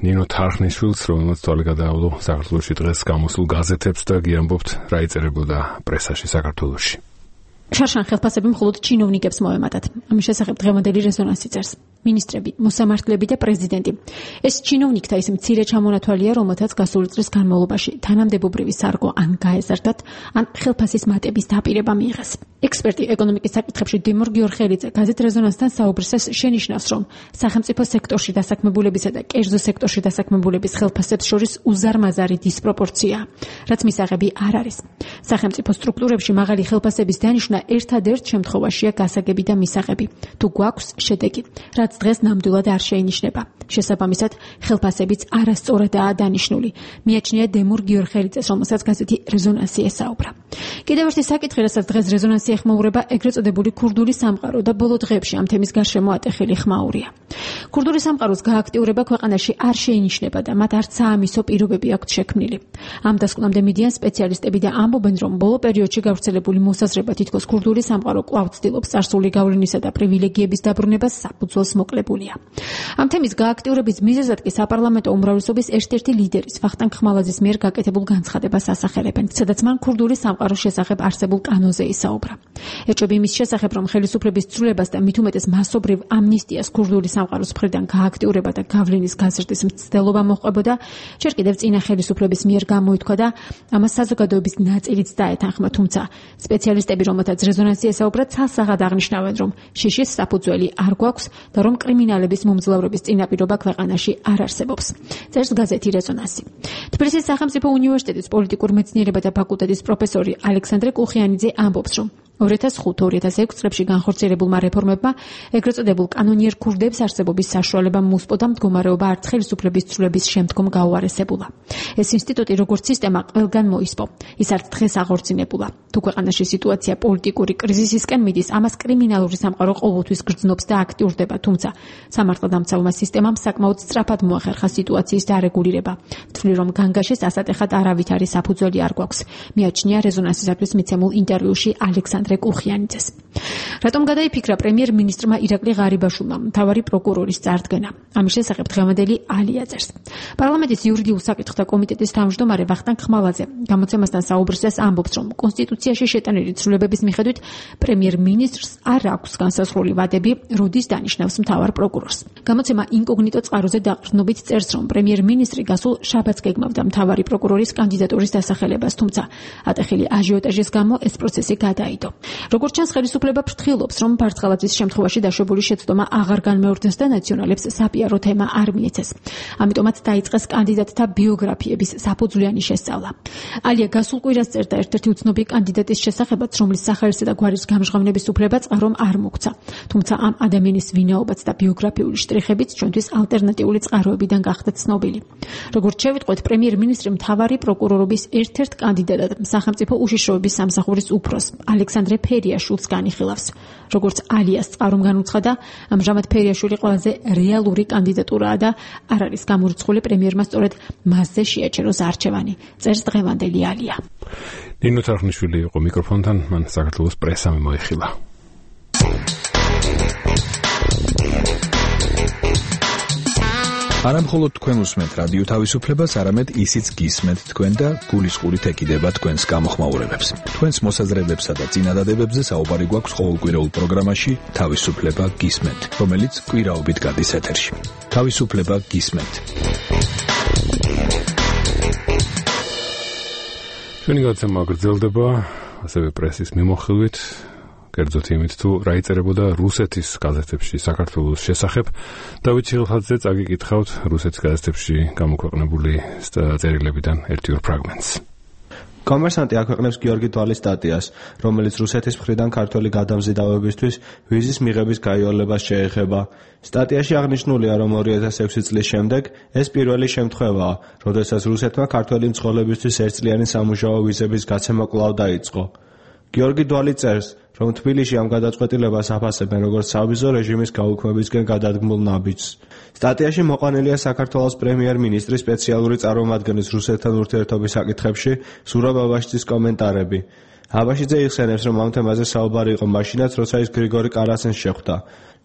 ნინო თარხნიშვილს, რომელმაც თვალი გადაავლო საქართველოში დღეს გამოსულ გაზეთებს და გიამბობთ რა იწერებოდა პრესაში საქართველოში. შარშან ხელფასები მხოლოდ ჩინოვნიკებს მოემატათ. ამის შესახებ დღევანდელი რეზონანსი წერს. მინისტრები, მოსამართლეები და პრეზიდენტი. ეს ჩინოვნიკთა ის მცირე ჩამონათვალია, რომელთაც გასული წლის განმავლობაში თანამდებობრივი სარგო ან გაეზარდათ, ან ხელფასის მატების დაპირება მიიღეს. ექსპერტი ეკონომიკის საკითხებში დიმურ გიორხელიძე გაზეთ რეზონანსთან საუბრისას შენიშნავს, რომ სახელმწიფო სექტორში დასაქმებულებისა და კერძო სექტორში დასაქმებულების ხელფასებს შორის უზარმაზარი დისპროპორციაა, რაც მისაღები არ არის. სახელმწიფო სტრუქტურებში მაღალი ხელფასების დანიშვნა ერთადერთ შემთხვევაშია გასაგები და მისაღები, თუ გვაქვს შედეგი, რაც დღეს ნამდვილად არ შეინიშნება. შესაბამისად, ხელფასებიც არასწორადაა დანიშნული. მიაჩნია დემურ გიორხელიძეს, რომელსაც გაზეთი რეზონანსი ესაუბრა. კიდევ ერთი საკითხი, რასაც დღეს რეზონანსი ეხმაურება, ეგრეთ წოდებული ქურდული სამყარო და ბოლო დღეებში ამ თემის გარშემო ატეხილი ხმაურია. ქურდული სამყაროს გააქტიურება ქვეყანაში არ შეინიშნება და მათ არც საამისო პირობები აქვთ შექმნილი. ამ დასკვნამდე მიდიან სპეციალისტები და ამბობენ, რომ ბოლო პერიოდში გავრცელებული მოსაზრება თითქოს ქურდული სამყარო კვლავ ცდილობს წარსული გავლენისა და პრივილეგიების დაბრუნებას საფუძველს მოკლებულია. ამ თემის გააქტიურების მიზეზად კი საპარლამენტო უმრავლესობის ერთ-ერთი ლიდერის ვახტანგ ხმალაძის მიერ გაკეთებულ განცხადებას ასახელებენ, სადაც მან ქურდული სამყაროს შესახებ არსებულ კანონზე ისაუბრა. ეჭვები იმის შესახებ, რომ ხელისუფლების ცვლილებას და მით უმეტეს მასობრივ ამნისტიას ქურდული სამყაროს მხრიდან გააქტიურება და გავლენის გაზრდის მცდელობა მოჰყვებოდა, ჯერ კიდევ წინა ხელისუფლების მიერ გამოითქვა და ამას საზოგადოების ნაწილიც დაეთანხმა, თუმცა სპეციალისტები, რომელთაც რეზონანსი ესაუბრა, ცალსაღად აღნიშნავენ, რომ შიშის საფუძველი არ გვაქვს და რომ კრიმინალების მომძლავრების წინაპირობა ქვეყანაში არ არსებობს. წერს გაზეთი რეზონანსი. თბილისის სახელმწიფო უნივერსიტეტის პოლიტიკურ მეცნიერებათა ფაკულტეტის პროფესორი ალექსანდრე კუხიანიძე ამბობს, რომ 2005-2006 წლებში განხორციელებულმა რეფორმებმა ეგრეთ წოდებულ კანონიერ ქურდებს არსებობის საშუალება მოუსპო და მდგომარეობა არც ხელისუფლების ცვლილების შემდგომ გაუარესებულა. ეს ინსტიტუტი როგორც სისტემა ყველგან მოისპო. ის არც დღეს აღორძინებულა. თუ ქვეყანაში სიტუაცია პოლიტიკური კრიზისისკენ მიდის, ამას კრიმინალური სამყარო ყოველთვის გრძნობს და აქტიურდება, თუმცა სამართალდამცავმა სისტემამ საკმაოდ სწრაფად მოახერხა სიტუაციის დარეგულირება. ვთვლი, რომ განგაშის ასატეხად არავითარი საფუძველი არ გვაქვს. მიაჩნია რეზონანსისათვის მიცემულ ინტერვიუში ალექსანდრე კუხიანიძეს. რატომ გადაიფიქრა პრემიერ-მინისტრმა ირაკლი ღარიბაშვილმა მთავარი პროკურორის წარდგენა? ამის შესახებ დღევანდელი ალია წერს. პარლამენტის იურიდიულ საკითხთა კომიტეტის თავმჯდომარე ვახტანგ ხმალაძე გამოცემასთან საუბრისას ამბობს, რომ კონსტიტუციაში შეტანილი ცვლილებების მიხედვით პრემიერ-მინისტრს არ აქვს განსაზღვრული ვადები, როდის დანიშნავს მთავარ პროკურორს. გამოცემა ინკოგნიტო წყაროზე დაყრდნობით წერს, რომ პრემიერ-მინისტრი გასულ შაბათს გეგმავდა მთავარი პროკურორის კანდიდატურის დასახელებას, თუმცა ატეხილი აჟიოტაჟის გამო ეს პროცესი გადაიდო. როგორც ჩანს, ხელისუფლება ფრთხილობს, რომ ფარცხალაძის შემთხვევაში დაშვებული შეცდომა აღარ განმეორდეს და ნაციონალებს საპიარო თემა არ მიეცეს. ამიტომაც დაიწყეს კანდიდატთა ბიოგრაფიების საფუძვლიანი შესწავლა. ალია გასულ კვირას წერდა ერთ-ერთი უცნობი კანდიდატის შესახებაც, რომლის სახელისა და გვარის გამჟღავნების უფლება წყარომ არ მოგცა. თუმცა ამ ადამიანის ვინაობაც და ბიოგრაფიული შტრიხებიც ჩვენთვის ალტერნატიული წყაროებიდან გახდა ცნობილი. როგორც შევიტყვეთ, პრემიერ-მინისტრი მთავარი პროკურორობის ერთ-ერთ კანდიდატად სახელმწიფო უშიშროების სამსახურის უფროს ალექსანდრე ფერიაშვილს განიხილავს. როგორც ალიას წყარომ განუცხადა, ამჟამად ფერიაშვილი ყველაზე რეალური კანდიდატურაა და არ არის გამორიცხული პრემიერმა სწორედ მასზე შეაჩეროს არჩევანი. წერს დღევანდელი ალია. ნინო თარხნიშვილი იყო მიკროფონთან, მან საქართველოს პრესამ მოიხილა. არა მხოლოდ თქვენ უსმენთ რადიო თავისუფლებას, არამედ ისიც გისმენთ თქვენ და გულისყურით ეკიდება თქვენს გამოხმაურებებს. თქვენს მოსაზრებებსა და წინადადებებზე საუბარი გვაქვს ყოველკვირეულ პროგრამაში თავისუფლება გისმენთ, რომელიც კვირაობით გადის ეთერში. თავისუფლება გისმენთ. ჩვენი გადაცემა გრძელდება ასევე პრესის მიმოხილვით, კერძოდ იმით თუ რა იწერებოდა რუსეთის გაზეთებში საქართველოს შესახებ. დავით ჩიხლხაძე წაგიკითხავთ რუსეთის გაზეთებში გამოქვეყნებული წერილებიდან ერთი-ორ ფრაგმენტს. კომერსანტი აქვეყნებს გიორგი დვალის სტატიას, რომელიც რუსეთის მხრიდან ქართველი გადამზიდავებისთვის ვიზის მიღების გაიოლებას შეეხება. სტატიაში აღნიშნულია, რომ 2006 წლის შემდეგ ეს პირველი შემთხვევაა, როდესაც რუსეთმა ქართველი მცხოვრებისთვის ერთწლიანი სამუშაო ვიზების გაცემა კვლავ დაიწყო. გიორგი დვალი წერს, რომ თბილისში ამ გადაწყვეტილებას აფასებენ როგორც სავიზო რეჟიმის გაუქმებისკენ გადადგმულ ნაბიჯს. სტატიაში მოყვანილია საქართველოს პრემიერ-მინისტრის სპეციალური წარმომადგენლის რუსეთთან ურთიერთობის საკითხებში სურაბ აბაშიძის კომენტარები. აბაშიძე იხსენებს, რომ ამ თემაზე საუბარი იყო მაშინაც, როცა ის გრიგორი კარასენს შეხვდა.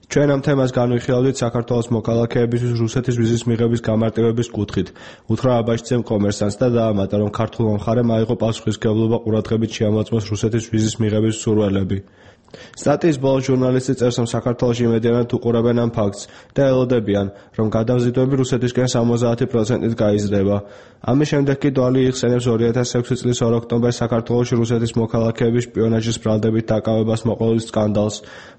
ჩვენ ამ თემას განვიხილავდით საქართველოს მოქალაქეებისთვის რუსეთის ვიზის მიღების გამარტივების კუთხით. უთხრა აბაშიძემ კომერსანტს და დაამატა, რომ ქართულმა მხარემ აიღო პასუხისმგებლობა ყურადღებით შეამოწმოს რუსეთის ვიზის მიღების სურვილები. სტატიის ბოლოს ჟურნალისტი წერს, რომ საქართველოში იმედიანად უყურებენ ამ ფაქტს და ელოდებიან, რომ გადამზიდვები რუსეთისკენ 70%-ით გაიზრდება. ამის შემდეგ კი დვალი იხსენებს 2006 წლის 2 ოქტომბერს საქართველოში რუსეთის მოქალაქეების შპიონაჟის ბრალდებით დაკავებას მოყოლის სკანდალს,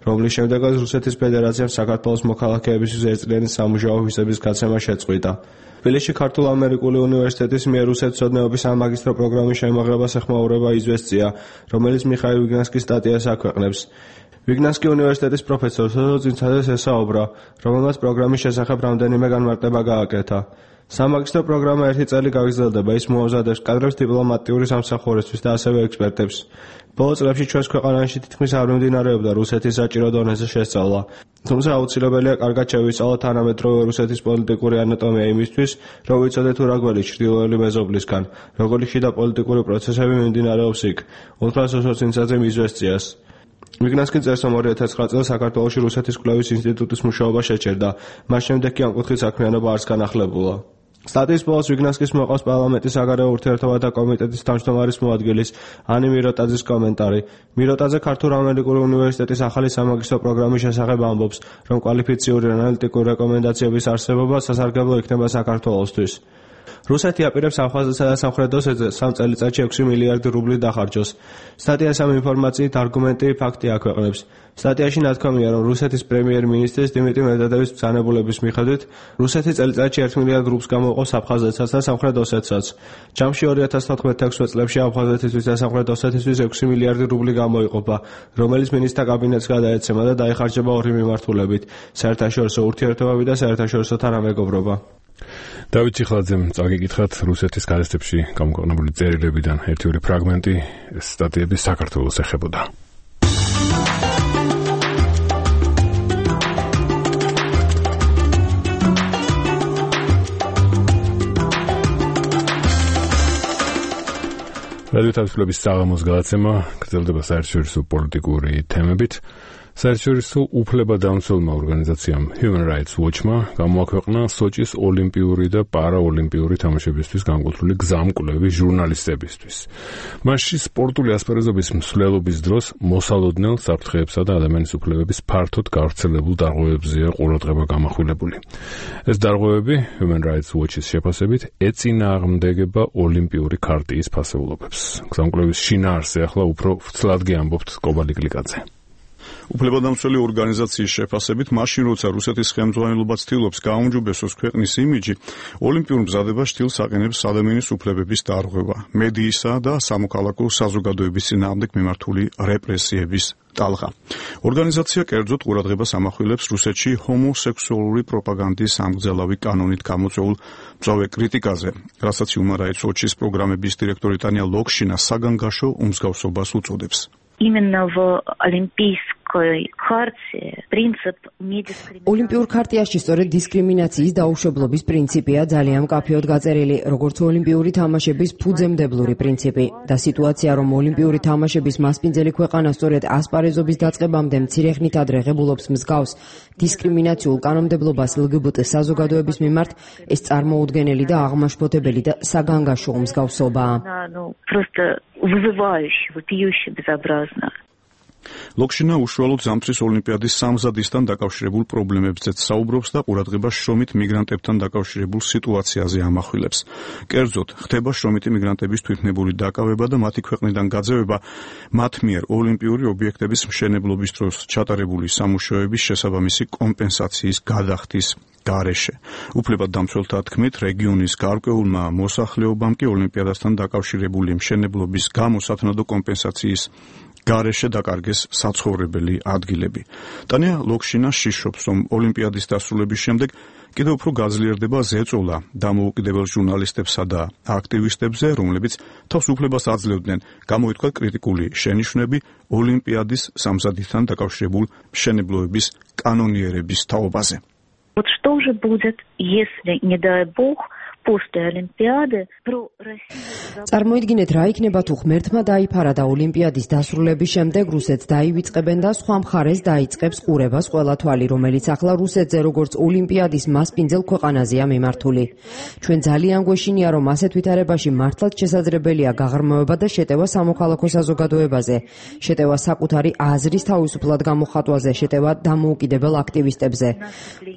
რომლის შემდეგაც რუსეთის ფედერაციამ საქართველოს მოქალაქეებისთვის ერთწლიანი სამუშაო ვიზების გაცემა შეწყვიტა. თბილისში ქართულ-ამერიკული უნივერსიტეტის მიერ რუსეთსოდნეობის სამაგისტრო პროგრამის შემოღებას ეხმაურება იზვესწია, რომელიც მიხაილ ვიგნანსკის სტატიას აქვეყნებს. ვიგნანსკი უნივერსიტეტის პროფესორ სოზოძინცაძეს ესაუბრა, რომელმაც პროგრამის შესახებ რამდენიმე განმარტება გააკეთა. სამაგისტრო პროგრამა ერთი წელი გაგრძელდება, ის მოამზადებს კადრებს დიპლომატიური სამსახურისთვის და ასევე ექსპერტებს. ბოლო წლებში ჩვენს ქვეყანაში თითქმის არ მიმდინარეობდა რუსეთის საჭირო დონეზე შესწავლა. თუმცა აუცილებელია კარგად შევისწავლოთ თანამედროვე რუსეთის პოლიტიკური ანატომია იმისთვის, რომ ვიცოდეთ თუ რა გველი ჩრდილოელი მეზობლისგან, როგორი შიდა პოლიტიკური პროცესები მიმდინარეობს იქ. უთხრა სოზოძინცაძემ იზვესწიას. ვიგნანსკი წერს, რომ 2009 წელს საქართველოში რუსეთის კვლევის ინსტიტუტის მუშაობა შეჩერდა, მას შემდეგ კი ამ კუთხით საქმიანობა არც განახლებულა. სტატიის ბოლოს ვიგნანსკის მოყავს პარლამენტის საგარეო ურთიერთობათა კომიტეტის თავმჯდომარის მოადგილის ანი მიროტაძის კომენტარი. მიროტაძე ქართულ-ამერიკული უნივერსიტეტის ახალი სამაგისტრო პროგრამის შესახებ ამბობს, რომ კვალიფიციური ანალიტიკური რეკომენდაციების არსებობა სასარგებლო იქნება საქართველოსთვის. რუსეთი აპირებს აფხაზეთსა და სამხრეთ ოსეთზე 3 წელიწადში 6 მილიარდი რუბლი დახარჯოს. სტატიას ამ ინფორმაციით არგუმენტი ფაქტი აქვეყნებს. სტატიაში ნათქვამია, რომ რუსეთის პრემიერ-მინისტრის დიმიტრი მედვედევის ბრძანებულების მიხედვით რუსეთი წელიწადში 1 მილიარდ რუბლს გამოვყავს აფხაზეთსაც და სამხრეთ ოსეთსაც. ჯამში 2014-16 წლებში აფხაზეთისთვის და სამხრეთ ოსეთისთვის 6 მილიარდი რუბლი გამოიყოფა, რომელიც მინისტრთა კაბინეტს გადაეცემა და დაიხარჯება ორი მიმართულებით: საერთაშორისო ურთიერთობები და საერთაშორისო თანამეგობრობა. დავით ჩიხლაძემ წაგიკითხათ რუსეთის გაზეთებში გამოქვეყნებული წერილებიდან ერთი-ორი ფრაგმენტი, ეს სტატიები საქართველოს ეხებოდა. რადიო თავისუფლების საღამოს გადაცემა გრძელდება საერთაშორისო პოლიტიკური თემებით. საერთაშორისო უფლებადამცველმა ორგანიზაციამ Human Rights Watch-მა გამოაქვეყნა სოჭის ოლიმპიური და პარაოლიმპიური თამაშებისთვის განკუთვნილი გზამკვლევი ჟურნალისტებისთვის. მასში სპორტული ასპარეზობის მსვლელობის დროს მოსალოდნელ საფრთხეებსა და ადამიანის უფლებების ფართოდ გავრცელებულ დარღვევებზეა ყურადღება გამახვილებული. ეს დარღვევები Human Rights Watch-ის შეფასებით ეწინააღმდეგება ოლიმპიური ქარტიის ფასეულობებს. გზამკვლევის შინაარსზე ახლა უფრო ვრცლადგი ამბობთ კობალი გლიკაძე. უფლებადამცველი ორგანიზაციის შეფასებით, მაშინ როცა რუსეთის ხელმძღვანელობა ცდილობს გააუმჯობესოს ქვეყნის იმიჯი, ოლიმპიურ მზადებას შთილს აყენებს ადამიანის უფლებების დარღვევა, მედიისა და სამოქალაქო საზოგადოების წინააღმდეგ მიმართული რეპრესიების ტალღა. ორგანიზაცია კერძოდ ყურადღებას ამახვილებს რუსეთში ჰომოსექსუალური პროპაგანდის ამგზელავი კანონით გამოწვეულ მწვავე კრიტიკაზე, რასაც Human Rights Watch-ის პროგრამების დირექტორი ტანია ლოქშინა საგანგაშო უმსგავსობას უწოდებს. Именно в олимпийском ოლიმპიურ ქარტიაში სწორედ დისკრიმინაციის დაუშვებლობის პრინციპია ძალიან მკაფიოდ გაწერილი, როგორც ოლიმპიური თამაშების ფუძემდებლური პრინციპი და სიტუაცია, რომ ოლიმპიური თამაშების მასპინძელი ქვეყანა სწორედ ასპარეზობის დაწყებამდე მცირე ხნით ადრე ღებულობს მსგავს დისკრიმინაციულ კანონმდებლობას LGBT საზოგადოების მიმართ, ეს წარმოუდგენელი და აღმაშფოთებელი და საგანგაშო მსგავსობაა. ლოქშინა უშუალოდ ზამთრის ოლიმპიადის სამზადისთან დაკავშირებულ პრობლემებზეც საუბრობს და ყურადღებას შრომით მიგრანტებთან დაკავშირებულ სიტუაციაზე ამახვილებს. კერძოდ, ხდება შრომითი მიგრანტების თვითნებური დაკავება და მათი ქვეყნიდან გაძევება მათ მიერ ოლიმპიური ობიექტების მშენებლობის დროს ჩატარებული სამუშაოების შესაბამისი კომპენსაციის გადახდის გარეშე. უფლებადდამცველთა თქმით, რეგიონის გარკვეულმა მოსახლეობამ კი ოლიმპიადასთან დაკავშირებული მშენებლობის გამო სათანადო კომპენსაციის გარეშე დაკარგეს საცხოვრებელი ადგილები. ტანია ლოქშინა შიშობს, რომ ოლიმპიადის დასრულების შემდეგ კიდევ უფრო გაძლიერდება ზეწოლა დამოუკიდებელ ჟურნალისტებსა და აქტივისტებზე, რომლებიც თავს უფლებას აძლევდნენ გამოითქვათ კრიტიკული შენიშვნები ოლიმპიადის სამზადისთან დაკავშირებულ მშენებლობების კანონიერების თაობაზე. Вот что же будет, если, не дай бог, после Олимпиады про Россию... წარმოიდგინეთ, რა იქნება თუ ღმერთმა დაიფარა და ოლიმპიადის დასრულების შემდეგ რუსეთს დაივიწყებენ და სხვა მხარეს დაიწყებს ყურებას ყველა თვალი, რომელიც ახლა რუსეთზე როგორც ოლიმპიადის მასპინძელ ქვეყანაზეა მიმართული. ჩვენ ძალიან გვეშინია, რომ ასეთ ვითარებაში მართლაც შესაძლებელია გაღრმავება და შეტევა სამოქალაქო საზოგადოებაზე, შეტევა საკუთარი აზრის თავისუფლად გამოხატვაზე, შეტევა დამოუკიდებელ აქტივისტებზე.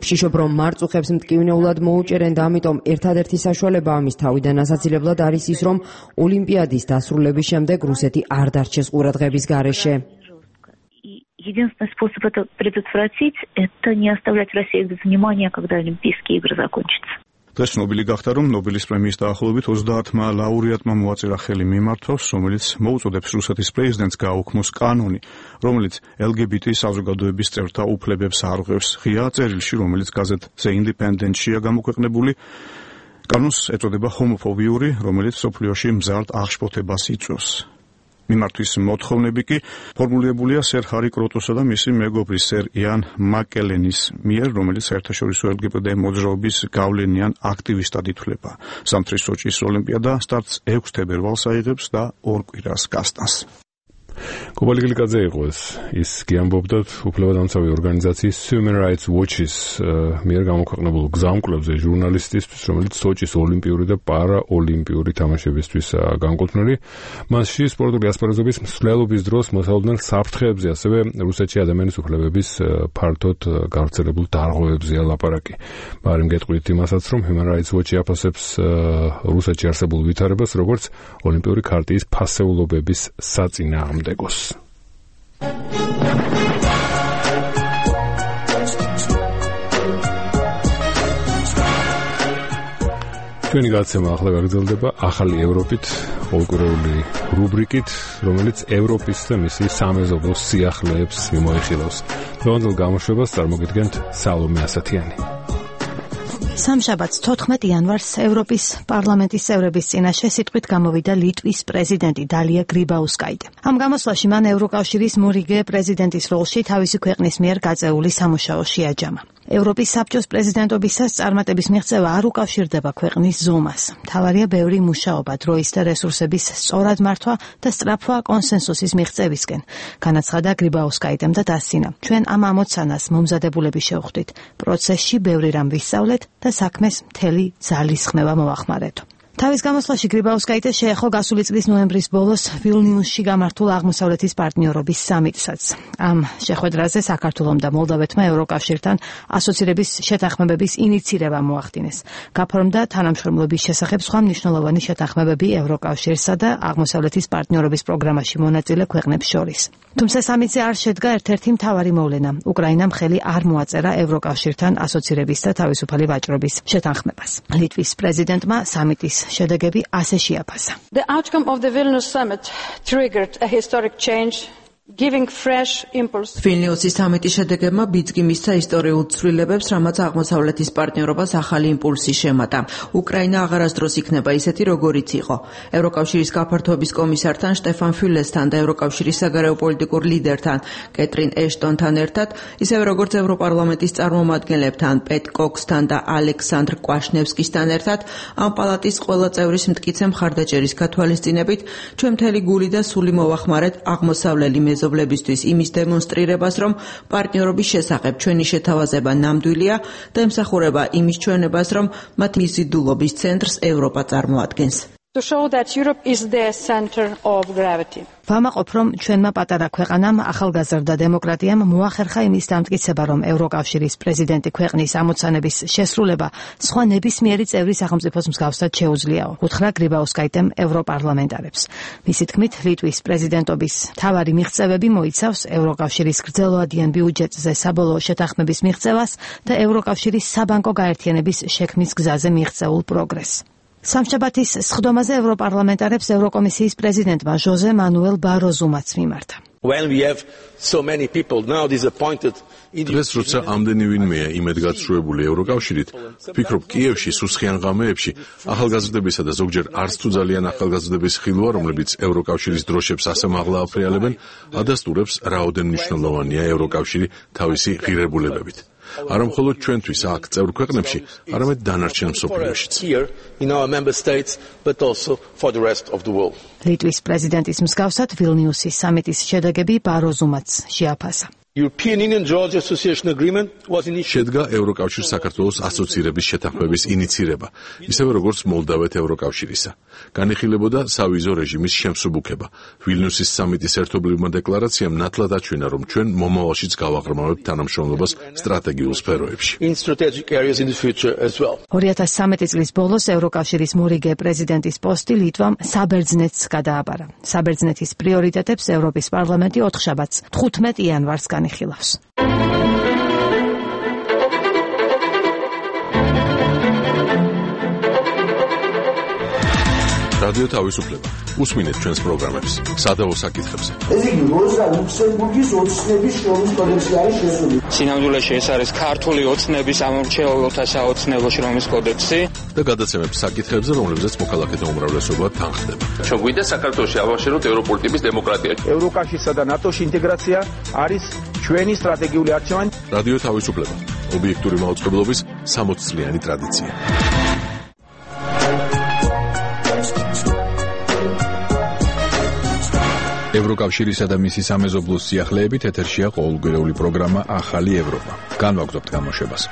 ვშიშობ, რომ მარწუხებს მტკივნეულად მოუჭერენ და ამიტომ ერთადერთი საშუალება ამის თავიდან ასაცილებლად არის ის, რომ ოლიმპიადის დასრულების შემდეგ რუსეთი არ დარჩეს ყურადღების გარეშე. Единственный способ это предотвратить, это не оставлять Россию без внимания, когда Олимпийские игры закончатся. დღეს ნობელი გახდა, რომ ნობელის პრემიის დაახლოებით 30-მა ლაურეატმა მოაწერა ხელი მიმართვას, რომელიც მოუწოდებს რუსეთის პრეზიდენტს გააუქმოს კანონი, რომელიც LGBT საზოგადოების წევრთა უფლებებს არღვევს. ღია წერილში, რომელიც გაზეთ The Independent-შია გამოქვეყნებული, კანონს ეწოდება ჰომოფობიური, რომელიც სოფლიოში მზარდ აღშფოთებას იწვევს. მიმართვის მოთხოვნები კი ფორმულირებულია სერ ჰარი კროტოსა და მისი მეგობრის სერ იან მაკელენის მიერ, რომელიც საერთაშორისო LGBT მოძრაობის გავლენიან აქტივისტად ითვლება. ზამთრის სოჭის ოლიმპიადა სტარტს 6 თებერვალს აიღებს და 2 კვირას გასტანს. კობალიგლიკაძე იყო ეს. ის კი ამბობდა უფლებადამცავი ორგანიზაციის Human Rights Watch-ის მიერ გამოქვეყნებულ გზამკვლევზე ჟურნალისტისთვის, რომელიც სოჭის ოლიმპიური და პარაოლიმპიური თამაშებისთვის განკუთვნილი. მასში სპორტული ასპარეზობის მსვლელობის დროს მოსალოდნელ საფრთხეებზე, ასევე რუსეთში ადამიანის უფლებების ფართოდ გავრცელებულ დარღვევებზეა ლაპარაკი. მაგრამ გეტყვით იმასაც, რომ Human Rights Watch-ი აფასებს რუსეთში არსებულ ვითარებას, როგორც ოლიმპიური ქარტიის ფასეულობების საწინააღმდეგოს. ჩვენი გაცემა ახლა გაგრძელდება ახალი ევროპით, ყოველკვირეული რუბრიკით, რომელიც ევროპის და მისი სამეზობლოს სიახლეებს მიმოიხილავს. დღევანდელ გამოშვებას წარმოგიდგენთ სალომე ასათიანი. სამშაბათს 14 იანვარს ევროპის პარლამენტის წევრების წინაშე სიტყვით გამოვიდა ლიტვის პრეზიდენტი დალია გრიბაუსკაიტე. ამ გამოსვლაში მან ევროკავშირის მორიგე პრეზიდენტის როლში თავისი ქვეყნის მიერ გაწეული სამუშაო შეაჯამა. ევროპის საბჭოს პრეზიდენტობისას წარმატების მიღწევა არ უკავშირდება ქვეყნის ზომას. მთავარია ბევრი მუშაობა, დროის და რესურსების სწორად მართვა და სწრაფვა კონსენსუსის მიღწევისკენ. განაცხადა გრიბაუსკაიტემ და დასცინა. ჩვენ ამ ამოცანას მომზადებულები შევხვდით. პროცესში ბევრი რამ ვისწავლეთ და საქმეს მთელი ძალისხმევა მოახმარეთო. თავის გამოსვლაში გრიბაუსკაიტე შეეხო გასული წლის ნოემბრის ბოლოს ვილნიუსში გამართულ აღმოსავლეთის პარტნიორობის სამიტსაც. ამ შეხვედრაზე საქართველომ და მოლდავეთმა ევროკავშირთან ასოცირების შეთანხმებების ინიცირება მოახდინეს. გაფორმდა თანამშრომლობის შესახებ სხვა მნიშვნელოვანი შეთანხმებები ევროკავშირსა და აღმოსავლეთის პარტნიორობის პროგრამაში მონაწილე ქვეყნებს შორის. თუმცა სამიტზე არ შედგა ერთ-ერთი მთავარი მოვლენა. უკრაინამ ხელი არ მოაწერა ევროკავშირთან ასოცირების და თავისუფალი ვაჭრობის შეთანხმებას. ლიტვის პრეზიდენტმა სამიტის შედეგები ასე შეაფასა. The outcome of the Vilnius summit triggered a historic change ვილნიუსის სამიტის შედეგებმა ბიძგი მისცა ისტორიულ ცვლილებებს, რამაც აღმოსავლეთის პარტნიორობას ახალი იმპულსი შემატა. უკრაინა აღარასდროს იქნება ისეთი, როგორიც იყო. ევროკავშირის გაფართოების კომისართან შტეფან ფიულესთან და ევროკავშირის საგარეო პოლიტიკურ ლიდერთან კეტრინ ეშტონთან ერთად, ისევე როგორც ევროპარლამენტის წარმომადგენლებთან პეტ კოქსთან და ალექსანდრ კვაშნევსკისთან ერთად, ამ პალატის ყველა წევრის მტკიცე მხარდაჭერის გათვალისწინებით, ჩვენ მთელი გული და სული მოვახმარეთ აღმოსავლელი მეზობლებისთვის იმის დემონსტრირებას, რომ პარტნიორობის შესახებ ჩვენი შეთავაზება ნამდვილია და ემსახურება იმის ჩვენებას, რომ მათ მიზიდულობის ცენტრს ევროპა წარმოადგენს. ვამაყობ, რომ ჩვენმა პატარა ქვეყანამ, ახალგაზრდა დემოკრატიამ მოახერხა იმის დამტკიცება, რომ ევროკავშირის პრეზიდენტი ქვეყნის ამოცანების შესრულება სხვა ნებისმიერი წევრი სახელმწიფოს მსგავსად შეუძლიაო. უთხრა გრიბაუსკაიტემ ევროპარლამენტარებს. მისი თქმით, ლიტვის პრეზიდენტობის მთავარი მიღწევები მოიცავს ევროკავშირის გრძელვადიან ბიუჯეტზე საბოლოო შეთანხმების მიღწევას და ევროკავშირის საბანკო გაერთიანების შექმნის გზაზე მიღწეულ პროგრესს. სამშაბათის სხდომაზე ევროპარლამენტარებს ევროკომისიის პრეზიდენტმა ჟოზე მანუელ ბაროზუმაც მიმართა. დღეს როცა ამდენი ვინმეა იმედგაცრუებული ევროკავშირით, ვფიქრობ კიევში სუსხიან ღამეებში ახალგაზრდებისა და ზოგჯერ არც თუ ძალიან ახალგაზრდების ხილვა, რომლებიც ევროკავშირის დროშებს ასე მაღლა აფრიალებენ, ადასტურებს რაოდენ მნიშვნელოვანია ევროკავშირი თავისი ღირებულებებით. არა მხოლოდ ჩვენთვის აქ წევრ ქვეყნებში, არამედ დანარჩენ მსოფლიოშიც. ლიტვის პრეზიდენტის მსგავსად ვილნიუსის სამიტის შედეგები ბაროზუმაც შეაფასა. შედგა ევროკავშირ საქართველოს ასოცირების შეთანხმების ინიცირება, ისევე როგორც მოლდავეთ ევროკავშირისა. განიხილებოდა სავიზო რეჟიმის შემსუბუქება. ვილნიუსის სამიტის ერთობლივმა დეკლარაციამ ნათლად აჩვენა, რომ ჩვენ მომავალშიც გავაღრმავებთ თანამშრომლობას სტრატეგიულ სფეროებში. 2013 წლის ბოლოს ევროკავშირის მორიგე პრეზიდენტის პოსტი ლიტვამ საბერძნეთს გადააბარა. საბერძნეთის პრიორიტეტებს ევროპის პარლამენტი 4 შაბათს 15 იანვარს განიხილავს. რადიო თავისუფლება. უსმინეთ ჩვენს პროგრამებს სადავო საკითხებზე. ეს იგი როზა ლუქსემბურგის ოცნების შრომის კოდექსი არის შესული. სინამდვილეში ეს არის ქართული ოცნების ამორჩეულთა საოცნებო შრომის კოდექსი და გადაცემებს საკითხებზე, რომლებზეც მოქალაქეთა უმრავლესობა თანხდება. ჩვენ გვინდა საქართველოში ავაშენოთ ევროპული ტიპის დემოკრატია. ევროკავშირსა და ნატოში ინტეგრაცია არის ჩვენი სტრატეგიული არჩევანი. რადიო თავისუფლება. ობიექტური მაუწყებლობის 60 წლიანი ტრადიცია. ევროკავშირისა და მისი სამეზობლოს სიახლეებით ეთერშია ყოველკვირეული პროგრამა ახალი ევროპა. განვაგრძობთ გამოშვებას.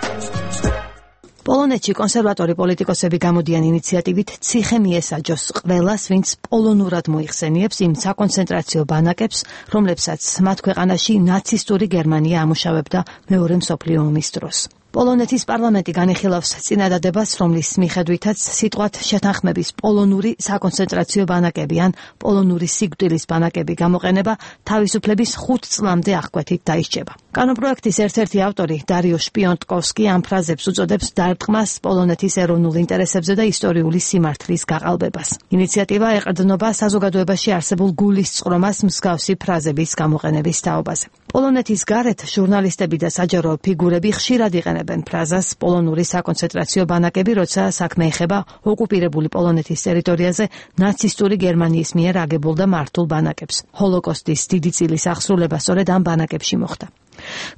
პოლონეთში კონსერვატორი პოლიტიკოსები გამოდიან ინიციატივით ციხე მიესაჯოს ყველას, ვინც პოლონურად მოიხსენიებს იმ საკონცენტრაციო ბანაკებს, რომლებსაც მათ ქვეყანაში ნაცისტური გერმანია ამუშავებდა მეორე მსოფლიო ომის დროს. პოლონეთის პარლამენტი განიხილავს წინადადებას, რომლის მიხედვითაც სიტყვათ შეთანხმების პოლონური საკონცენტრაციო ბანაკები ან პოლონური სიკვდილის ბანაკები გამოყენება თავისუფლების 5 წლამდე აღკვეთით დაისჭება. კანონპროექტის ერთ-ერთი ავტორი დარიო შპიონტკოვსკი ამ ფრაზებს უწოდებს დარტყმას პოლონეთის ეროვნულ ინტერესებზე და ისტორიული სიმართლის გაყალბებას. ინიციატივა ეყრდნობა საზოგადოებაში არსებულ გულისწყრომას მსგავსი ფრაზების გამოყენების თაობაზე. პოლონეთის გარეთ ჟურნალისტები და საჯარო ფიგურები ხშირად იყენებენ ფრაზას პოლონური საკონცენტრაციო ბანაკები, როცა საქმე ეხება ოკუპირებული პოლონეთის ტერიტორიაზე ნაცისტური გერმანიის მიერ აგებულ და მართულ ბანაკებს. ჰოლოკოსტის დიდი წილის აღსრულება სწორედ ამ ბანაკებში მოხდა.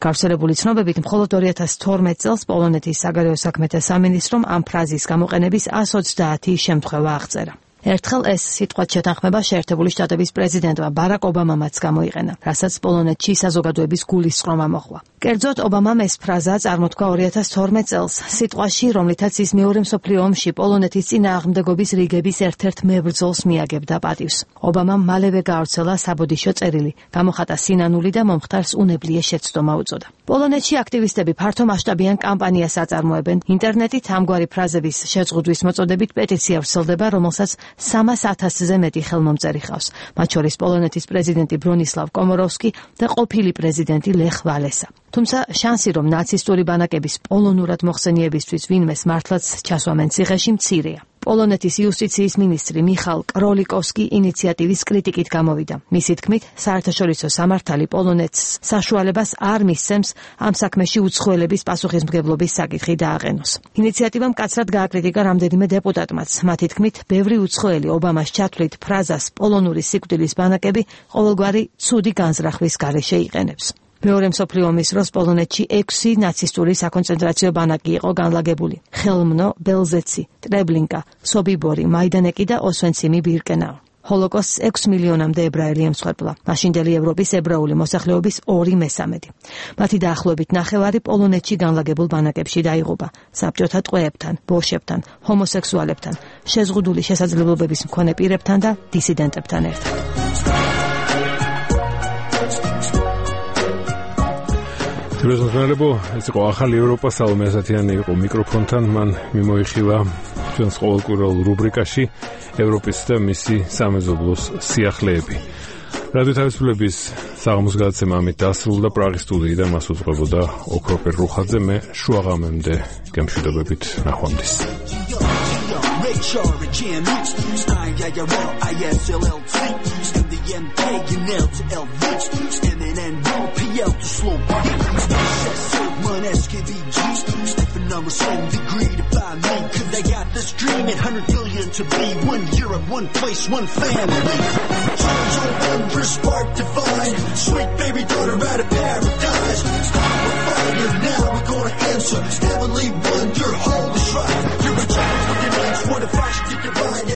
გავრცელებული ცნობებით, მხოლოდ 2012 წელს პოლონეთის საგარეო საქმეთა სამინისტრომ ამ ფრაზის გამოყენების 130 შემთხვევა აღწერა. ერთხელ ეს სიტყვათ შეთანხმება შეერთებული შტატების პრეზიდენტმა ბარაკ ობამამაც გამოიყენა, რასაც პოლონეთში საზოგადოების გულისწყრომა მოჰყვა. კერძოდ, ობამამ ეს ფრაზა წარმოთქვა 2012 წელს, სიტყვაში, რომლითაც ის მეორე მსოფლიო ომში პოლონეთის წინააღმდეგობის რიგების ერთ-ერთ მებრძოლს მიაგებდა პატივს. ობამამ მალევე გაავრცელა საბოდიშო წერილი, გამოხატა სინანული და მომხდარს უნებლიე შეცდომა უწოდა. პოლონეთში აქტივისტები ფართო მასშტაბიან კამპანიას აწარმოებენ. ინტერნეტით ამგვარი ფრაზების შეზღუდვის მოწოდებით პეტიცია ვრცელდება, რომელსაც 300,000-ზე მეტი ხელმომწერი ხავს, მათ შორის პოლონეთის პრეზიდენტი ბრონისლავ კომოროვსკი და ყოფილი პრეზიდენტი ლეხ ვალესა. თუმცა შანსი, რომ ნაცისტური ბანაკების პოლონურად მოხსენიებისთვის ვინმეს მართლაც ჩასვამენ ციხეში, მცირეა. პოლონეთის იუსტიციის მინისტრი მიხალ კროლიკოვსკი ინიციატივის კრიტიკით გამოვიდა. მისი თქმით, საერთაშორისო სამართალი პოლონეთს საშუალებას არ მისცემს ამ საქმეში უცხოელების პასუხისმგებლობის საკითხი დააყენოს. ინიციატივამ მკაცრად გააკრიტიკა რამდენიმე დეპუტატმაც. მათი თქმით, ბევრი უცხოელი ობამას ჩათვლით ფრაზას პოლონური სიკვდილის ბანაკები ყოველგვარი ცუდი განზრახვის გარეშე იყენებს. მეორე მსოფლიო ომის დროს პოლონეთში 6 ნაცისტური საკონცენტრაციო ბანაკი იყო განლაგებული: ხელმნო, ბელზეცი, ტრებლინკა, სობიბორი, მაიდანეკი და ოსვენციმი ბირკენაუ. ჰოლოკოსტს 6 მილიონამდე ებრაელი ემსხვერპლა. მაშინდელი ევროპის ებრაული მოსახლეობის 2/3. მათი დაახლოებით ნახევარი პოლონეთში განლაგებულ ბანაკებში დაიღუპა საბჭოთა ტყვეებთან, ბოშებთან, ჰომოსექსუალებთან, შეზღუდული შესაძლებლობების მქონე პირებთან და დისიდენტებთან ერთად. თბილისმოძმელებო, ეს იყო ახალი ევროპა, სალომე ასათიანი იყო მიკროფონთან, მან მიმოიხილა ჩვენს ყოველკვირეულ რუბრიკაში ევროპის და მისი სამეზობლოს სიახლეები. რადიო თავისუფლების საღამოს გადაცემა ამით დასრულდა. პრაღის სტუდიიდან მას უძღვებოდა ოქროპერ რუხაძე, მე შუაღამემდე გემშვიდობებით, ნახვამდის. Number 7 degree to find me, cause I got this dream at 100 billion to be one Europe, one place, one family. Charge over, spark divine, sweet baby daughter out of paradise. We're fire now, we're gonna answer, heavenly wonder, holy shrine. You're a child with an age, what a fashion to divine.